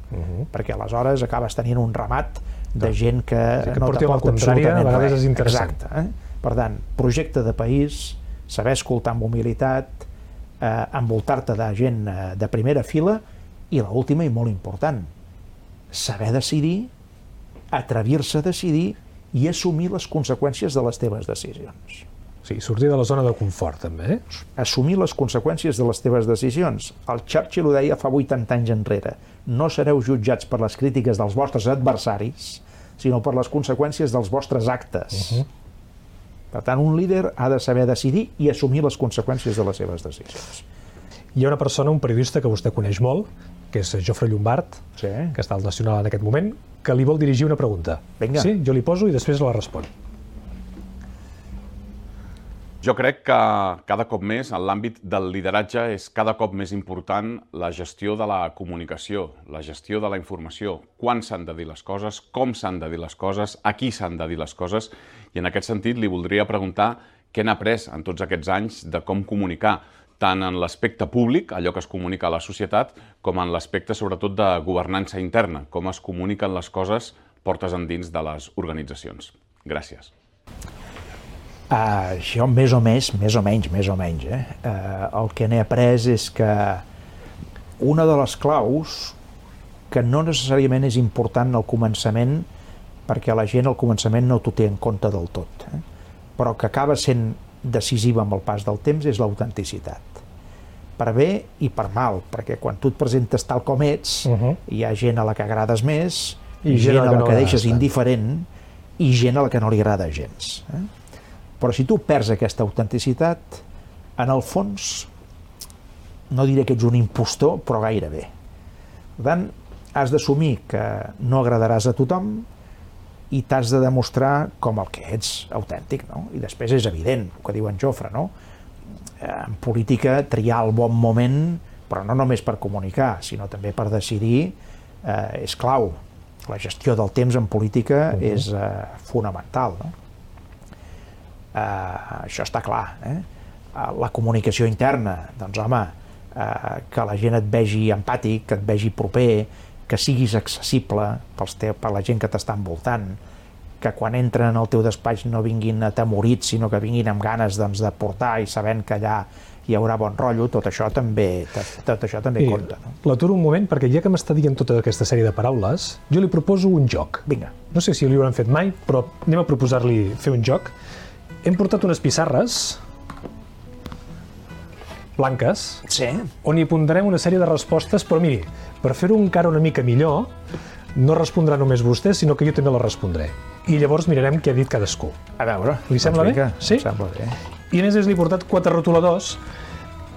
perquè aleshores acabes tenint un ramat de gent que no t'aporta absolutament res. A vegades és interessant. Exacte. Per tant, projecte de país, saber escoltar amb humilitat, envoltar-te de gent de primera fila, i l'última i molt important, saber decidir, atrevir-se a decidir i assumir les conseqüències de les teves decisions. Sí, sortir de la zona de confort, també. Assumir les conseqüències de les teves decisions. El Churchill ho deia fa 80 anys enrere. No sereu jutjats per les crítiques dels vostres adversaris, sinó per les conseqüències dels vostres actes. Per tant, un líder ha de saber decidir i assumir les conseqüències de les seves decisions. Hi ha una persona, un periodista que vostè coneix molt, que és Jofre Llombart, que està al Nacional en aquest moment, que li vol dirigir una pregunta. Vinga. Sí? Jo li poso i després la respon. Jo crec que cada cop més en l'àmbit del lideratge és cada cop més important la gestió de la comunicació, la gestió de la informació, quan s'han de dir les coses, com s'han de dir les coses, a qui s'han de dir les coses, i en aquest sentit li voldria preguntar què n'ha après en tots aquests anys de com comunicar, tant en l'aspecte públic, allò que es comunica a la societat, com en l'aspecte sobretot de governança interna, com es comuniquen les coses portes endins de les organitzacions. Gràcies. Jo més o menys. El que n'he après és que una de les claus, que no necessàriament és important al començament, perquè la gent al començament no t'ho té en compte del tot, però que acaba sent decisiva amb el pas del temps, és l'autenticitat. Per bé i per mal, perquè quan tu et presentes tal com ets, hi ha gent a la que agrades més, i gent a la que deixes indiferent, i gent a la que no li agrada gens. Però si tu perds aquesta autenticitat, en el fons, no diré que ets un impostor, però gairebé. Per tant, has d'assumir que no agradaràs a tothom i t'has de demostrar com el que ets autèntic, no? I després és evident, el que diu en Jofre, no? En política, triar el bon moment, però no només per comunicar, sinó també per decidir, és clau. La gestió del temps en política és fonamental, no? Això està clar. La comunicació interna, doncs home, que la gent et vegi empàtic, que et vegi proper, que siguis accessible per la gent que t'està envoltant, que quan entren al teu despatx no vinguin atemorits, sinó que vinguin amb ganes de portar i sabent que allà hi haurà bon rotllo, tot això també compta. L'aturo un moment, perquè ja que m'està dient tota aquesta sèrie de paraules, jo li proposo un joc. Vinga. No sé si li hauran fet mai, però anem a proposar-li fer un joc. Hem portat unes pissarres blanques, on hi apuntarem una sèrie de respostes, però miri, per fer-ho encara una mica millor, no respondrà només vostè, sinó que jo també la respondré. I llavors mirarem què ha dit cadascú. A veure, li sembla bé? Sí? Sembla bé. I a més li he portat 4 rotuladors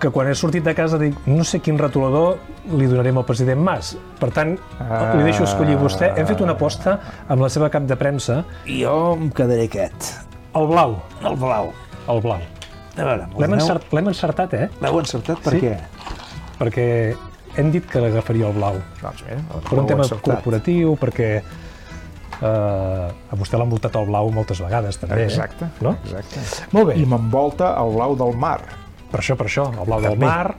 que quan he sortit de casa dic, no sé quin rotulador li donarem al president Mas. Per tant, li deixo escollir vostè. Hem fet una aposta amb la seva cap de premsa. Jo em quedaré aquest. El blau. El blau. El blau. L'hem encertat, L'heu encertat? Per què? Perquè hem dit que l'agafaria el blau. Doncs bé, per un tema corporatiu, perquè a vostè l'ha envoltat el blau moltes vegades, també. Exacte. Molt bé. I m'envolta el blau del mar. Per això, el blau del mar,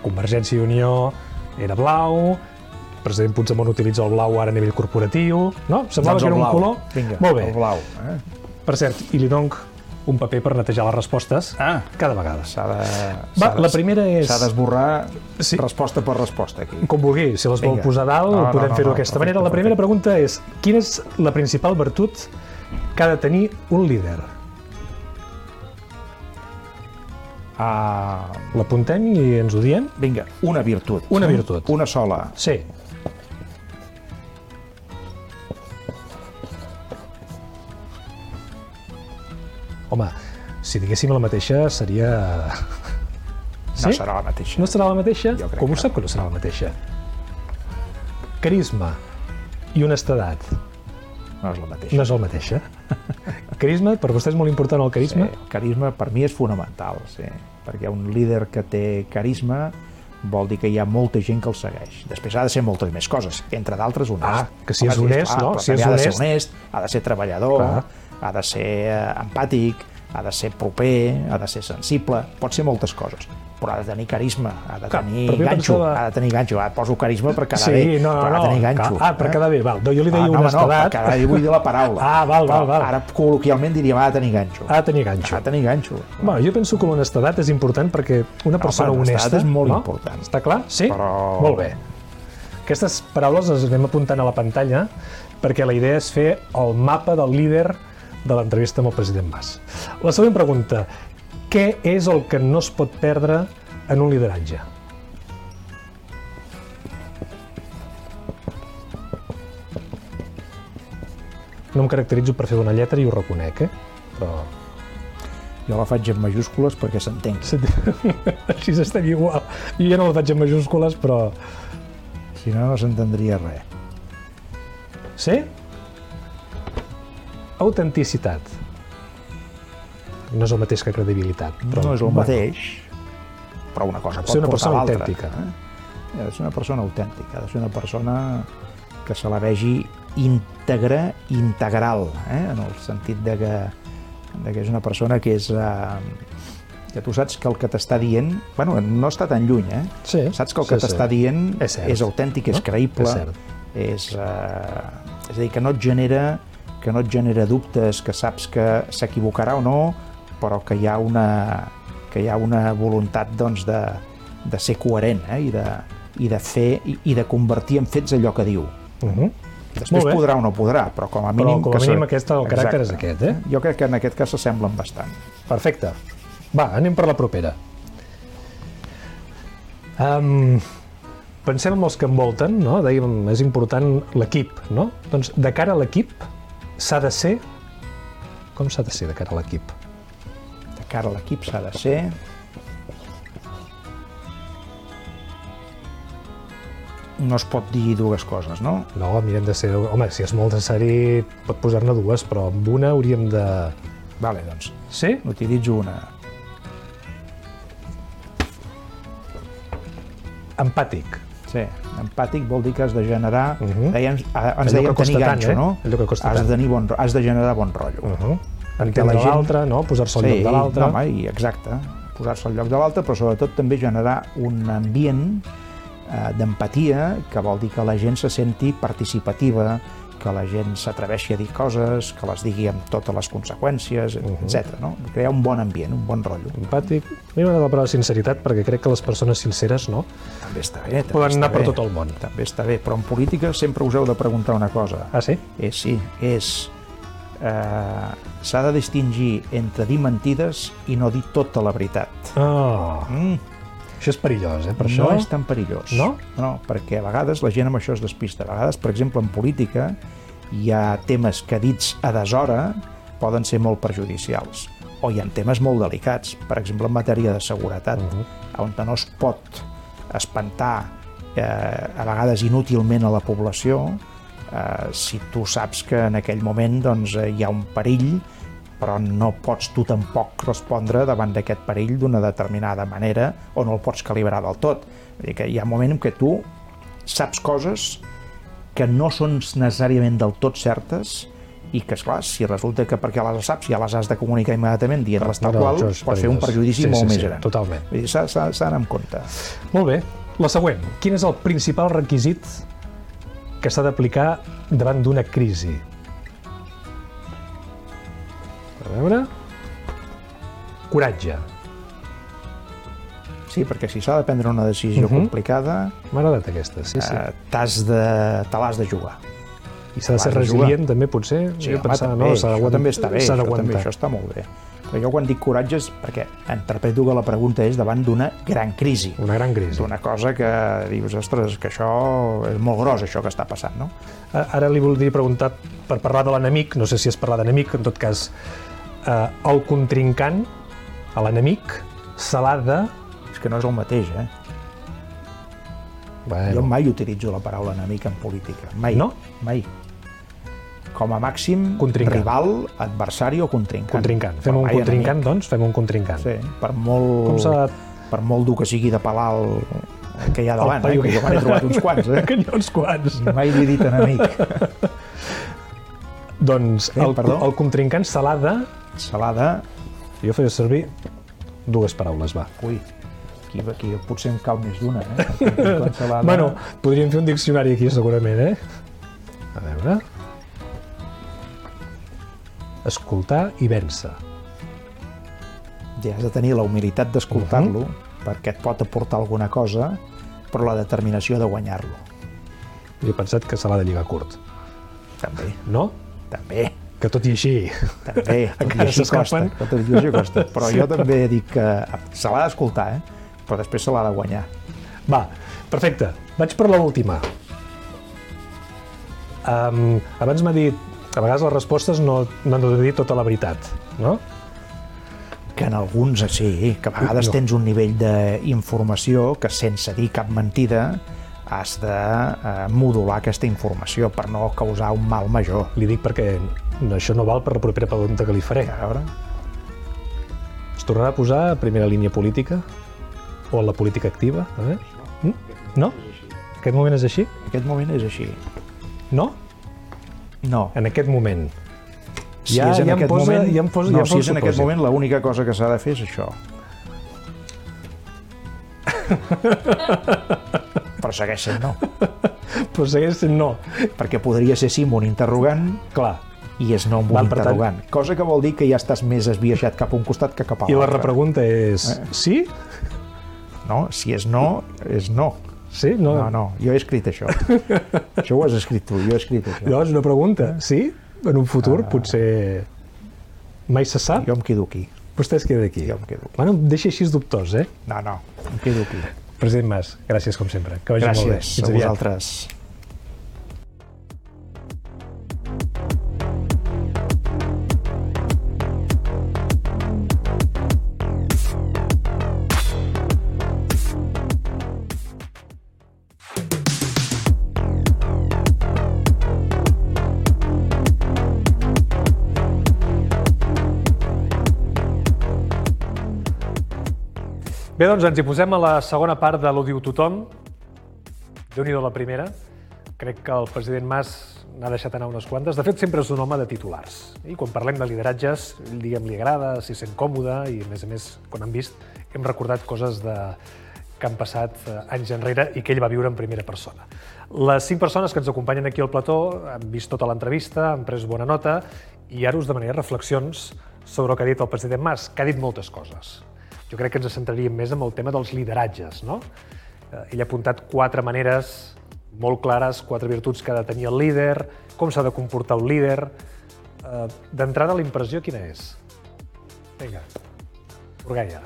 Convergència i Unió era blau, el president Puigdemont utilitza el blau ara a nivell corporatiu, no? Semblava que era un color. Vinga, molt bé. El blau. Per cert, i li dono un paper per netejar les respostes cada vegada. La primera és... S'ha d'esborrar resposta per resposta aquí. Com vulgui, si les vol posar dalt, podem fer-ho d'aquesta manera. La primera pregunta és, quina és la principal virtut que ha de tenir un líder? L'apuntem i ens ho diem? Vinga, una virtut. Una virtut. Una sola. Sí. Home, si diguéssim la mateixa seria... No serà la mateixa. No serà la mateixa? Com ho sap que no serà la mateixa? Carisma i honestedat. No és la mateixa. No és la mateixa. Carisma, per vostè és molt important el carisma? Sí, el carisma per mi és fonamental, sí. Perquè un líder que té carisma vol dir que hi ha molta gent que el segueix. Després ha de ser moltes més coses, entre d'altres honest. Que si és honest, no? Si ha de ser honest, ha de ser treballador, ha de ser empàtic, ha de ser proper, ha de ser sensible, pot ser moltes coses, però ha de tenir carisma, ha de tenir ganxo, poso carisma per quedar bé, però ha de tenir ganxo. Per quedar bé, val. Jo li deia honestedat. No, per quedar bé vull dir la paraula. Val. Ara col·loquialment diríem ha de tenir ganxo. Ha de tenir ganxo. Bueno, jo penso que l'honestedat és important perquè una persona honesta... és molt important. Està clar? Sí? Molt bé. Aquestes paraules les anem apuntant a la pantalla perquè la idea és fer el mapa del líder de l'entrevista amb el president Mas. La següent pregunta. Què és el que no es pot perdre en un lideratge? No em caracteritzo per fer una lletra i ho reconec, però... Jo la faig en majúscules perquè s'entengui. Així estem igual. Jo ja no la faig en majúscules, però... Si no, no s'entendria res. Sí? Autenticitat. No és el mateix que credibilitat. No és el mateix, però una cosa pot portar a l'altra. Ha de ser una persona autèntica, ha de ser una persona que se la vegi íntegra, integral, en el sentit de que és una persona que és... que tu saps que el que t'està dient... Bueno, no està tan lluny, saps que el que t'està dient és autèntic, és creïble, és a dir, que no et genera dubtes, que saps que s'equivocarà o no, però que hi ha una voluntat de ser coherent i de fer i de convertir en fets allò que diu. Després podrà o no podrà, però com a mínim... Però com a mínim el caràcter és aquest, Jo crec que en aquest cas s'assemblen bastant. Perfecte. Va, anem per la propera. Pensem en els que envolten, no? Dèiem, és important l'equip, no? Doncs de cara a l'equip s'ha de ser... Com s'ha de ser de cara a l'equip? De cara a l'equip s'ha de ser... No es pot dir dues coses, no? No, mirem de ser... Home, si és molt necessari pot posar-ne dues, però amb una hauríem de... Vale, doncs. Sí? N'utilitzo una. Empàtic. Sí, empàtic vol dir que has de generar... Ens deien tenir ganxo, no? Allò que costa tant. Has de generar bon rotllo. Entendre l'altre, no? Posar-se al lloc de l'altre. Sí, exacte. Posar-se al lloc de l'altre, però sobretot també generar un ambient d'empatia, que vol dir que la gent se senti participativa, que la gent s'atreveixi a dir coses, que les digui amb totes les conseqüències, etc. Crear un bon ambient, un bon rotllo. Empàtic. A mi m'agrada la paraula sinceritat perquè crec que les persones sinceres, no? També està bé. Poden anar per tot el món. També està bé, però en política sempre us heu de preguntar una cosa. Ah, sí? Sí, s'ha de distingir entre dir mentides i no dir tota la veritat. Això és perillós, per això? No és tan perillós. No? No, perquè a vegades la gent amb això es despista. A vegades, per exemple, en política hi ha temes que dits a deshora poden ser molt perjudicials. O hi ha temes molt delicats, per exemple, en matèria de seguretat, on no es pot espantar a vegades inútilment a la població si tu saps que en aquell moment hi ha un perill, però no pots tu tampoc respondre davant d'aquest perill d'una determinada manera o no el pots calibrar del tot. Vull dir que hi ha un moment en què tu saps coses que no són necessàriament del tot certes i que, esclar, si resulta que perquè les saps ja les has de comunicar immediatament dient-les tal qual, pots fer un perjudici molt més gran. Totalment. Vull dir, s'ha d'anar amb compte. Molt bé. La següent. Quin és el principal requisit que s'ha d'aplicar davant d'una crisi? A veure... Coratge. Sí, perquè si s'ha de prendre una decisió complicada... M'ha agradat aquesta, sí. Te l'has de jugar. I s'ha de ser resilient, també, potser? Sí, home, també. Això també està bé. Això està molt bé. Però jo quan dic coratge és perquè interpreto que la pregunta és davant d'una gran crisi. Una gran crisi. D'una cosa que dius, ostres, que això és molt gros, això que està passant, no? Ara li voldria preguntar per parlar de l'enemic, no sé si és parlar d'enemic, en tot cas, el contrincant, l'enemic, se l'ha de... És que no és el mateix, Jo mai utilitzo la paraula enemic en política. Mai. No? Mai. Com a màxim, rival, adversari o contrincant. Contrincant. Fem un contrincant, doncs? Fem un contrincant. Sí, per molt dur que sigui de palar que hi ha davant, que jo me n'he trobat uns quants, Que n'hi ha uns quants. Mai li he dit enemic. Doncs el contrincant se l'ha de... Se l'ha de Jo faria servir 2 paraules, va. Ui, aquí potser em cal més d'una, Bueno, podríem fer un diccionari aquí, segurament, A veure... Escoltar i vèncer. Ja has de tenir la humilitat d'escoltar-lo, perquè et pot aportar alguna cosa, però la determinació de guanyar-lo. Jo he pensat que se l'ha de lligar curt. També. No? També. Que tot i així... També, tot i així costa. Però jo també dic que se l'ha d'escoltar, però després se l'ha de guanyar. Va, perfecte. Vaig per l'última. Abans m'ha dit... A vegades les respostes no han de dir tota la veritat, no? Que en alguns sí, que a vegades tens un nivell d'informació que sense dir cap mentida has de modular aquesta informació per no causar un mal major. Li dic perquè això no val per la propera pregunta que li faré. A veure... Es tornarà a posar a primera línia política? O a la política activa? No? Aquest moment és així? Aquest moment és així. No? No. En aquest moment. Si és en aquest moment, l'única cosa que s'ha de fer és això. Però segueix sent no. Però segueix sent no. Perquè podria ser sí amb un interrogant. Clar. I és no amb un interrogant. Cosa que vol dir que ja estàs més esbiaixat cap a un costat que cap a l'altre. I la repregunta és sí? No, si és no, és no. Sí? No, jo he escrit això. Això ho has escrit tu, jo he escrit això. Llavors, una pregunta, sí? En un futur, potser... Mai se sap? Jo em quedo aquí. Vostè es queda aquí? Jo em quedo aquí. Bueno, em deixa així dubtós, No, em quedo aquí. President Mas, gràcies com sempre. Que vagi molt bé. Gràcies a vosaltres. Bé, doncs ens hi posem a la segona part de l'Ho diu tothom. Déu-n'hi-do la primera. Crec que el president Mas n'ha deixat anar unes quantes. De fet, sempre és un home de titulars. I quan parlem de lideratges, diguem, li agrada, s'hi sent còmode i, a més, quan hem vist, hem recordat coses que han passat anys enrere i que ell va viure en primera persona. Les 5 persones que ens acompanyen aquí al plató han vist tota l'entrevista, han pres bona nota i ara us demanaré reflexions sobre el que ha dit el president Mas, que ha dit moltes coses. Jo crec que ens centraríem més en el tema dels lideratges, no? Ell ha apuntat 4 maneres molt clares, 4 virtuts que ha de tenir el líder, com s'ha de comportar el líder. D'entrada, la impressió quina és? Vinga, Burgaia.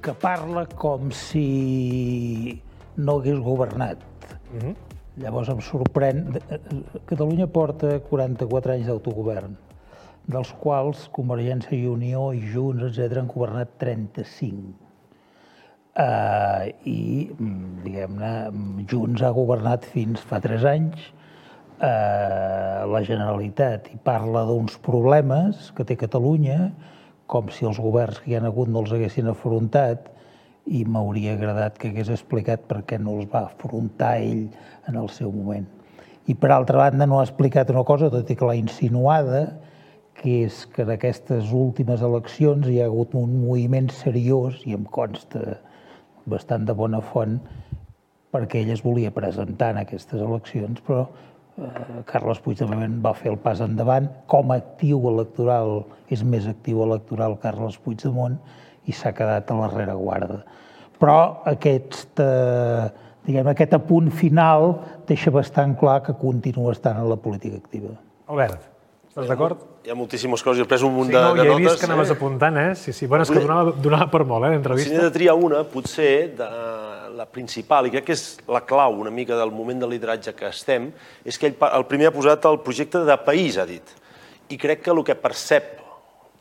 Que parla com si no hagués governat. Llavors em sorprèn... Catalunya porta 44 anys d'autogovern, dels quals Convergència i Unió i Junts, etc., han governat 35. I, diguem-ne, Junts ha governat fins fa 3 anys, la Generalitat, i parla d'uns problemes que té Catalunya, com si els governs que hi ha hagut no els haguessin afrontat, i m'hauria agradat que hagués explicat per què no els va afrontar ell en el seu moment. I, per altra banda, no ha explicat una cosa, tot i que l'ha insinuada, que és que en aquestes últimes eleccions hi ha hagut un moviment seriós, i em consta bastant de bona font, perquè ell es volia presentar en aquestes eleccions, però Carles Puigdemont va fer el pas endavant. Com a actiu electoral, és més actiu electoral Carles Puigdemont, i s'ha quedat a la rereguarda. Però aquest apunt final deixa bastant clar que continua estant en la política activa. Albert, estàs d'acord? Hi ha moltíssimes coses, jo he pres un munt de notes. Ja he vist que anaves apuntant, Sí. Bueno, és que donava per molt, l'entrevista. Si n'he de triar una, potser la principal, i crec que és la clau una mica del moment de lideratge que estem, és que ell el primer ha posat el projecte de país, ha dit. I crec que el que percep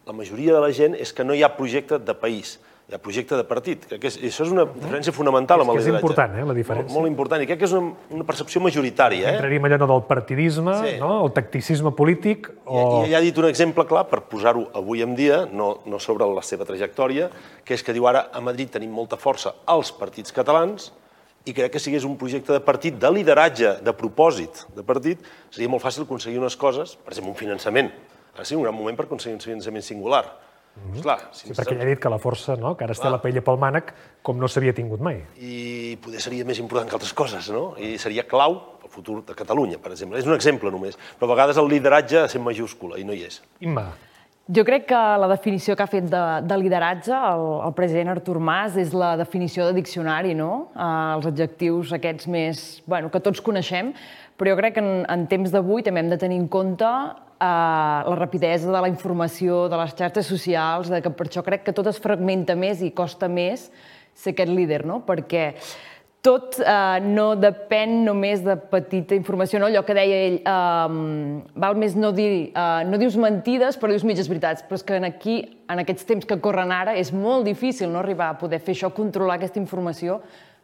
la majoria de la gent és que no hi ha projecte de país, hi ha projecte de partit. Crec que això és una diferència fonamental amb el lideratge. És important, la diferència. Molt important, i crec que és una percepció majoritària. Entraríem allò del partidisme, el tacticisme polític... I ell ha dit un exemple clar, per posar-ho avui en dia, no sobre la seva trajectòria, que és que diu ara a Madrid tenim molta força als partits catalans, i crec que si hagués un projecte de partit, de lideratge, de propòsit de partit, seria molt fàcil aconseguir unes coses, per exemple, un finançament. Ara sí, un gran moment per aconseguir un finançament singular. Sí, perquè ja he dit que la força, que ara es té la paella pel mànec, com no s'havia tingut mai. I poder seria més important que altres coses, no? I seria clau pel futur de Catalunya, per exemple. És un exemple només, però a vegades el lideratge ha de ser majúscula i no hi és. Imma. Jo crec que la definició que ha fet de lideratge el president Artur Mas és la definició de diccionari, no? Els adjectius aquests més, que tots coneixem, però jo crec que en temps d'avui també hem de tenir en compte la rapidesa de la informació, de les xarxes socials, que per això crec que tot es fragmenta més i costa més ser aquest líder, no? Perquè tot no depèn només de petita informació, no? Allò que deia ell, val més no dius mentides, però dius mitges veritats. Però és que aquí, en aquests temps que corren ara, és molt difícil no arribar a poder fer això, controlar aquesta informació.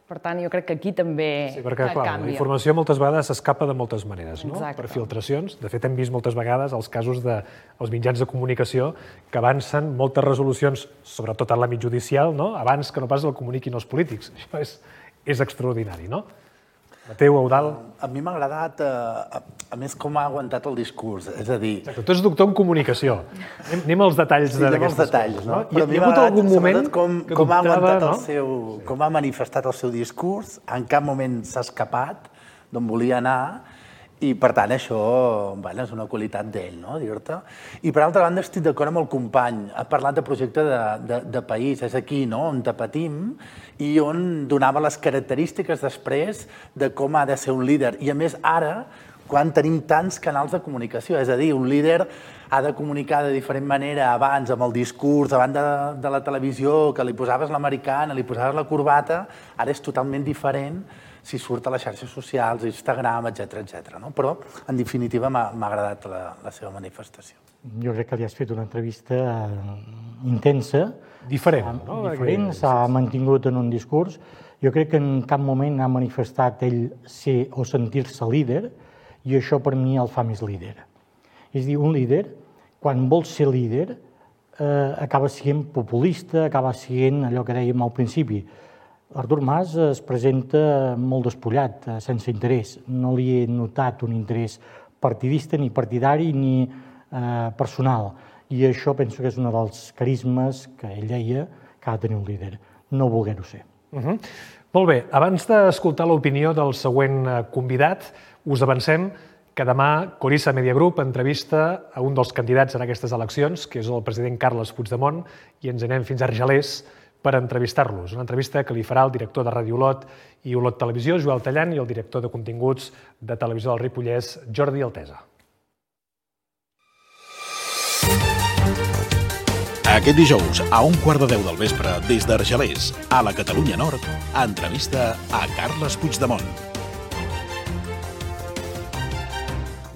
Per tant, jo crec que aquí també canvia. Sí, perquè, clar, la informació moltes vegades s'escapa de moltes maneres, no? Per filtracions. De fet, hem vist moltes vegades els casos dels mitjans de comunicació que avancen moltes resolucions, sobretot en l'àmbit judicial, abans que no pas el comuniquin els polítics. Això és extraordinari, no? Mateu, Eudald... A mi m'ha agradat, a més, com ha aguantat el discurs. És a dir... Exacte, tu ets doctor en comunicació. Anem als detalls d'aquestes coses, no? Però a mi m'ha agradat, sobretot, com ha aguantat el seu... com ha manifestat el seu discurs, en cap moment s'ha escapat d'on volia anar, i, per tant, això és una qualitat d'ell, no, dir-te. I, per altra banda, estic d'acord amb el company. Ha parlat de projecte de país. És aquí, no?, on patim i on donava les característiques després de com ha de ser un líder. I, a més, ara, quan tenim tants canals de comunicació, és a dir, un líder ha de comunicar de diferent manera abans amb el discurs, davant de la televisió, que li posaves l'americana, li posaves la corbata, ara és totalment diferent si surt a les xarxes socials, Instagram, etc. Però, en definitiva, m'ha agradat la seva manifestació. Jo crec que li has fet una entrevista intensa. Diferent, no? Diferent, s'ha mantingut en un discurs. Jo crec que en cap moment ha manifestat ell ser o sentir-se líder, i això per mi el fa més líder. És a dir, un líder, quan vol ser líder, acaba sent populista, acaba sent allò que dèiem al principi. Artur Mas es presenta molt despullat, sense interès. No li he notat un interès partidista, ni partidari, ni personal. I això penso que és un dels carismes que ell deia que ha de tenir un líder, no voler-ho ser. Molt bé, abans d'escoltar l'opinió del següent convidat, us avancem que demà Corissa Media Group entrevista a un dels candidats en aquestes eleccions, que és el president Carles Puigdemont, i ens anem fins a Argelers per entrevistar-los. Una entrevista que li farà el director de Ràdio Olot i Olot Televisió, Joel Tallant, i el director de continguts de Televisió del Ripollès, Jordi Altesa. Aquest dijous, a 11:15 del vespre, des d'Argelers, a la Catalunya Nord, entrevista a Carles Puigdemont.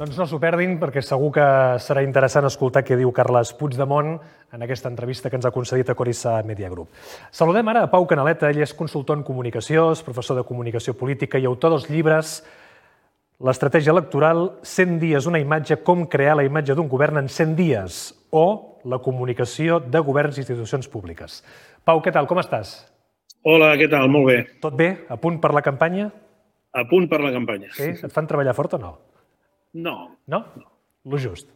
Doncs no s'ho perdin, perquè segur que serà interessant escoltar què diu Carles Puigdemont en aquesta entrevista que ens ha concedit a Corissa Media Group. Saludem ara a Pau Canaleta. Ell és consultor en comunicació, és professor de comunicació política i autor dels llibres L'estratègia electoral, 100 dies, una imatge, com crear la imatge d'un govern en 100 dies, o la comunicació de governs i institucions públiques. Pau, què tal? Com estàs? Hola, què tal? Molt bé. Tot bé? A punt per la campanya? A punt per la campanya. Sí? Et fan treballar fort o no? No. No? Lo just.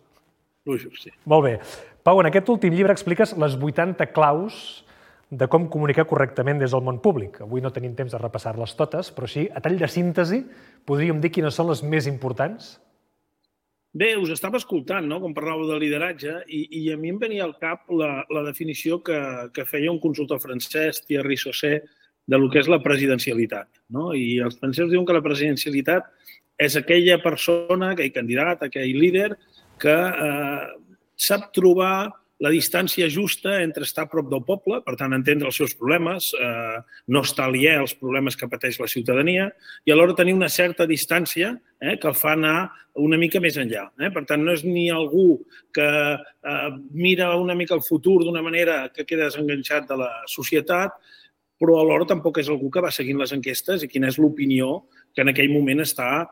Lo just, sí. Molt bé. Pau, en aquest últim llibre expliques les 80 claus de com comunicar correctament des del món públic. Avui no tenim temps de repassar-les totes, però sí, a tall de síntesi, podríem dir quines són les més importants? Bé, us estava escoltant, no?, com parlàveu de lideratge, i a mi em venia al cap la definició que feia un consultor francès, Thierry Sausset, de lo que és la presidencialitat, no? I els francesos diuen que la presidencialitat és aquella persona, aquell candidat, aquell líder, que sap trobar la distància justa entre estar a prop del poble, per tant, entendre els seus problemes, no estar aliè als problemes que pateix la ciutadania, i alhora tenir una certa distància que el fa anar una mica més enllà. Per tant, no és ni algú que mira una mica el futur d'una manera que queda desenganxat de la societat, però alhora tampoc és algú que va seguint les enquestes i quina és l'opinió que en aquell moment està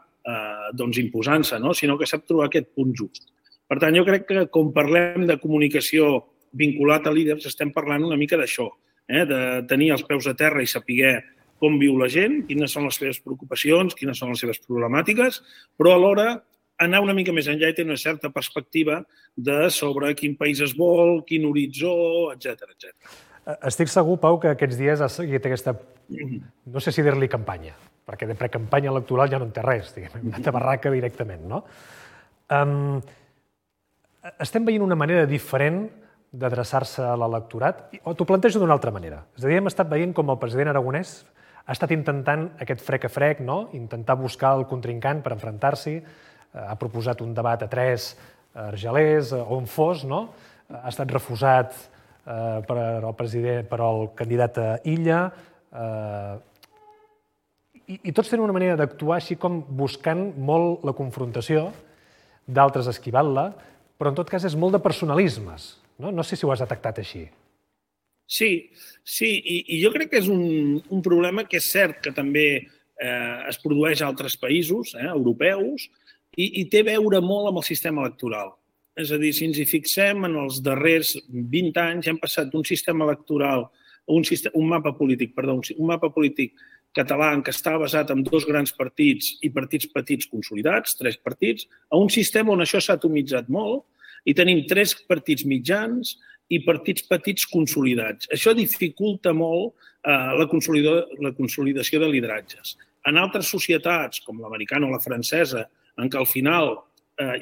imposant-se, sinó que sap trobar aquest punt just. Per tant, jo crec que quan parlem de comunicació vinculat a líders estem parlant una mica d'això, de tenir els peus a terra i saber com viu la gent, quines són les seves preocupacions, quines són les seves problemàtiques, però alhora anar una mica més enllà i tenir una certa perspectiva sobre quin país es vol, quin horitzó, etc. Estic segur, Pau, que aquests dies has seguit aquesta, no sé si dir-li campanya, perquè de precampanya electoral ja no en té res, diguem, una tabarraca directament, no? Estem veient una manera diferent d'adreçar-se a l'electorat, o t'ho plantejo d'una altra manera. És a dir, hem estat veient com el president Aragonès ha estat intentant aquest frec a frec, no? Intentar buscar el contrincant per enfrontar-s'hi, ha proposat un debat a 3 a Argelers, on fos, no? Ha estat refusat per al candidat a Illa, i tots tenen una manera d'actuar així com buscant molt la confrontació, d'altres esquivant-la, però en tot cas és molt de personalismes. No sé si ho has detectat així. Sí, i jo crec que és un problema que és cert que també es produeix a altres països europeus i té a veure molt amb el sistema electoral. És a dir, si ens hi fixem, en els darrers 20 anys hem passat d'un sistema electoral, un mapa polític català que estava basat en 2 grans partits i partits petits consolidats, 3 partits, a un sistema on això s'ha atomitzat molt i tenim 3 partits mitjans i partits petits consolidats. Això dificulta molt la consolidació de lideratges. En altres societats, com l'americana o la francesa, en què al final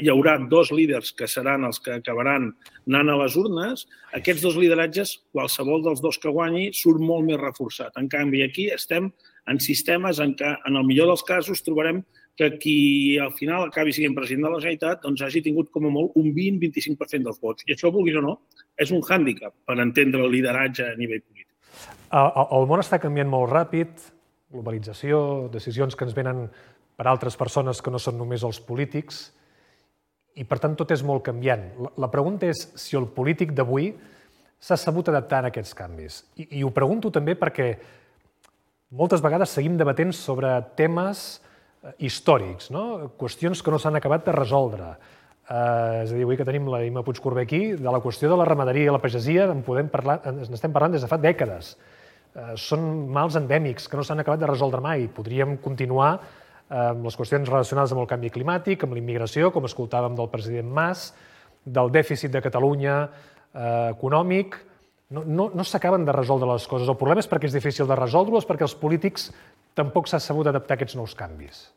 hi haurà 2 líders que seran els que acabaran anant a les urnes, aquests 2 lideratges, qualsevol dels 2 que guanyi, surt molt més reforçat. En canvi, aquí estem en sistemes en què, en el millor dels casos, trobarem que qui al final acabi sent president de la Generalitat doncs hagi tingut com a molt un 20-25% dels vots. I això, vulguis o no, és un hàndicap per entendre el lideratge a nivell polític. El món està canviant molt ràpid, globalització, decisions que ens venen per altres persones que no són només els polítics, i per tant tot és molt canviant. La pregunta és si el polític d'avui s'ha sabut adaptar a aquests canvis. I ho pregunto també perquè moltes vegades seguim debatent sobre temes històrics, qüestions que no s'han acabat de resoldre. És a dir, avui que tenim la Imma Puigcorbé aquí, de la qüestió de la ramaderia i la pagesia n'estem parlant des de fa dècades. Són mals endèmics que no s'han acabat de resoldre mai. Podríem continuar amb les qüestions relacionades amb el canvi climàtic, amb la immigració, com escoltàvem del president Mas, del dèficit de Catalunya econòmic. No s'acaben de resoldre les coses. El problema és perquè és difícil de resoldre o és perquè els polítics tampoc s'ha sabut adaptar a aquests nous canvis?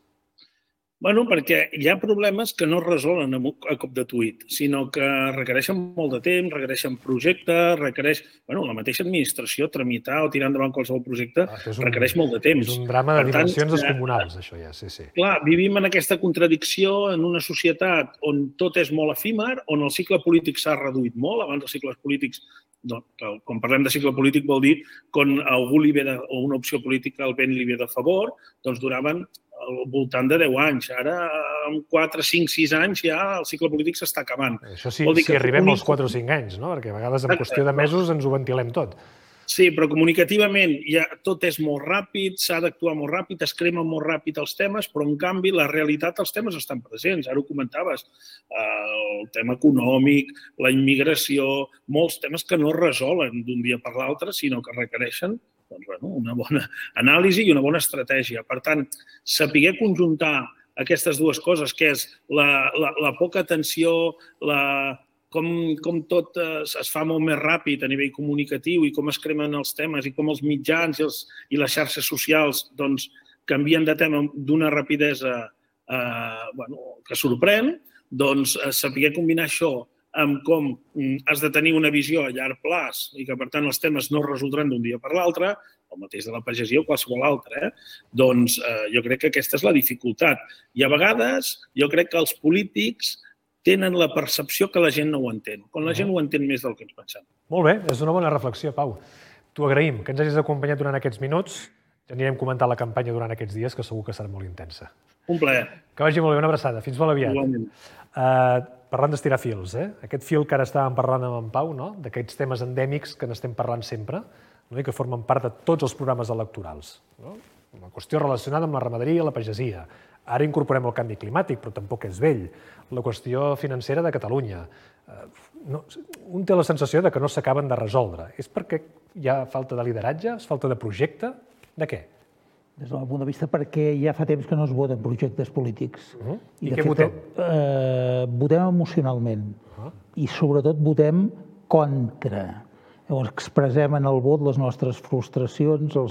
Bueno, perquè hi ha problemes que no es resolen a cop de tuit, sinó que requereixen molt de temps, requereixen projectes, la mateixa administració, tramitar o tirar endavant qualsevol projecte, requereix molt de temps. És un drama de dimensions descomunals, això ja, sí. Clar, vivim en aquesta contradicció en una societat on tot és molt efímer, on el cicle polític s'ha reduït molt. Abans els cicles polítics, quan parlem de cicle polític vol dir quan algú li ve o una opció política el vent li ve de favor, doncs duraven al voltant de 10 anys. Ara, en 4, 5, 6 anys ja el cicle polític s'està acabant. Això sí, si arribem als 4 o 5 anys, no? Perquè a vegades en qüestió de mesos ens ho ventilem tot. Sí, però comunicativament tot és molt ràpid, s'ha d'actuar molt ràpid, es cremen molt ràpid els temes, però en canvi la realitat dels temes estan presents. Ara ho comentaves, el tema econòmic, la immigració, molts temes que no es resolen d'un dia per l'altre, sinó que requereixen una bona anàlisi i una bona estratègia. Per tant, saber conjuntar aquestes dues coses, que és la poca atenció, com tot es fa molt més ràpid a nivell comunicatiu i com es cremen els temes i com els mitjans i les xarxes socials canvien de tema d'una rapidesa que sorprèn, doncs saber combinar això amb com has de tenir una visió a llarg plaç i que, per tant, els temes no es resoldran d'un dia per l'altre, el mateix de la pagesia o qualsevol altre, doncs jo crec que aquesta és la dificultat. I a vegades jo crec que els polítics tenen la percepció que la gent no ho entén, quan la gent ho entén més del que ens pensem. Molt bé, és una bona reflexió, Pau. T'ho agraïm, que ens hagis acompanyat durant aquests minuts. Ja anirem comentant la campanya durant aquests dies, que segur que serà molt intensa. Un plaer. Que vagi molt bé, una abraçada. Fins molt aviat. Igualment. Parlant d'estirar fils, aquest fil que ara estàvem parlant amb en Pau, d'aquests temes endèmics que n'estem parlant sempre i que formen part de tots els programes electorals. Una qüestió relacionada amb la ramaderia i la pagesia. Ara incorporem el canvi climàtic, però tampoc és vell. La qüestió financera de Catalunya. Un té la sensació que no s'acaben de resoldre. És perquè hi ha falta de lideratge? És falta de projecte? De què? des del meu punt de vista, perquè ja fa temps que no es voten projectes polítics. I què votem? Votem emocionalment i sobretot votem contra. Llavors expressem en el vot les nostres frustracions, la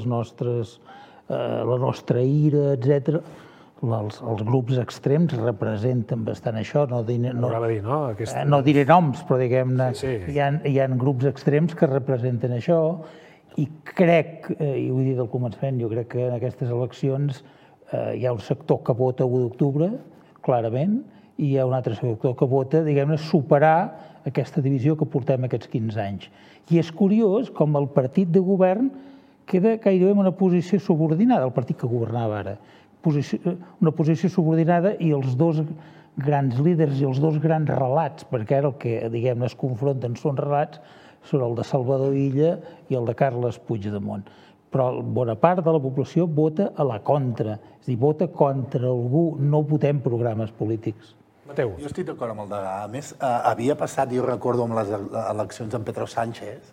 nostra ira, etc. Els grups extrems representen bastant això. No diré noms, però diguem-ne, hi ha grups extrems que representen això. I crec, i ho he dit al començament, jo crec que en aquestes eleccions hi ha un sector que vota 1 d'octubre, clarament, i hi ha un altre sector que vota, diguem-ne, superar aquesta divisió que portem aquests 15 anys. I és curiós com el partit de govern queda gairebé en una posició subordinada, el partit que governava ara. Una posició subordinada i els dos grans líders i els dos grans relats, perquè ara el que, diguem-ne, es confronten són relats, són el de Salvador Illa i el de Carles Puigdemont. Però bona part de la població vota a la contra, és a dir, vota contra algú, no votem programes polítics. Mateu. Jo estic d'acord amb el Degà. A més, havia passat, jo recordo amb les eleccions amb Pedro Sánchez,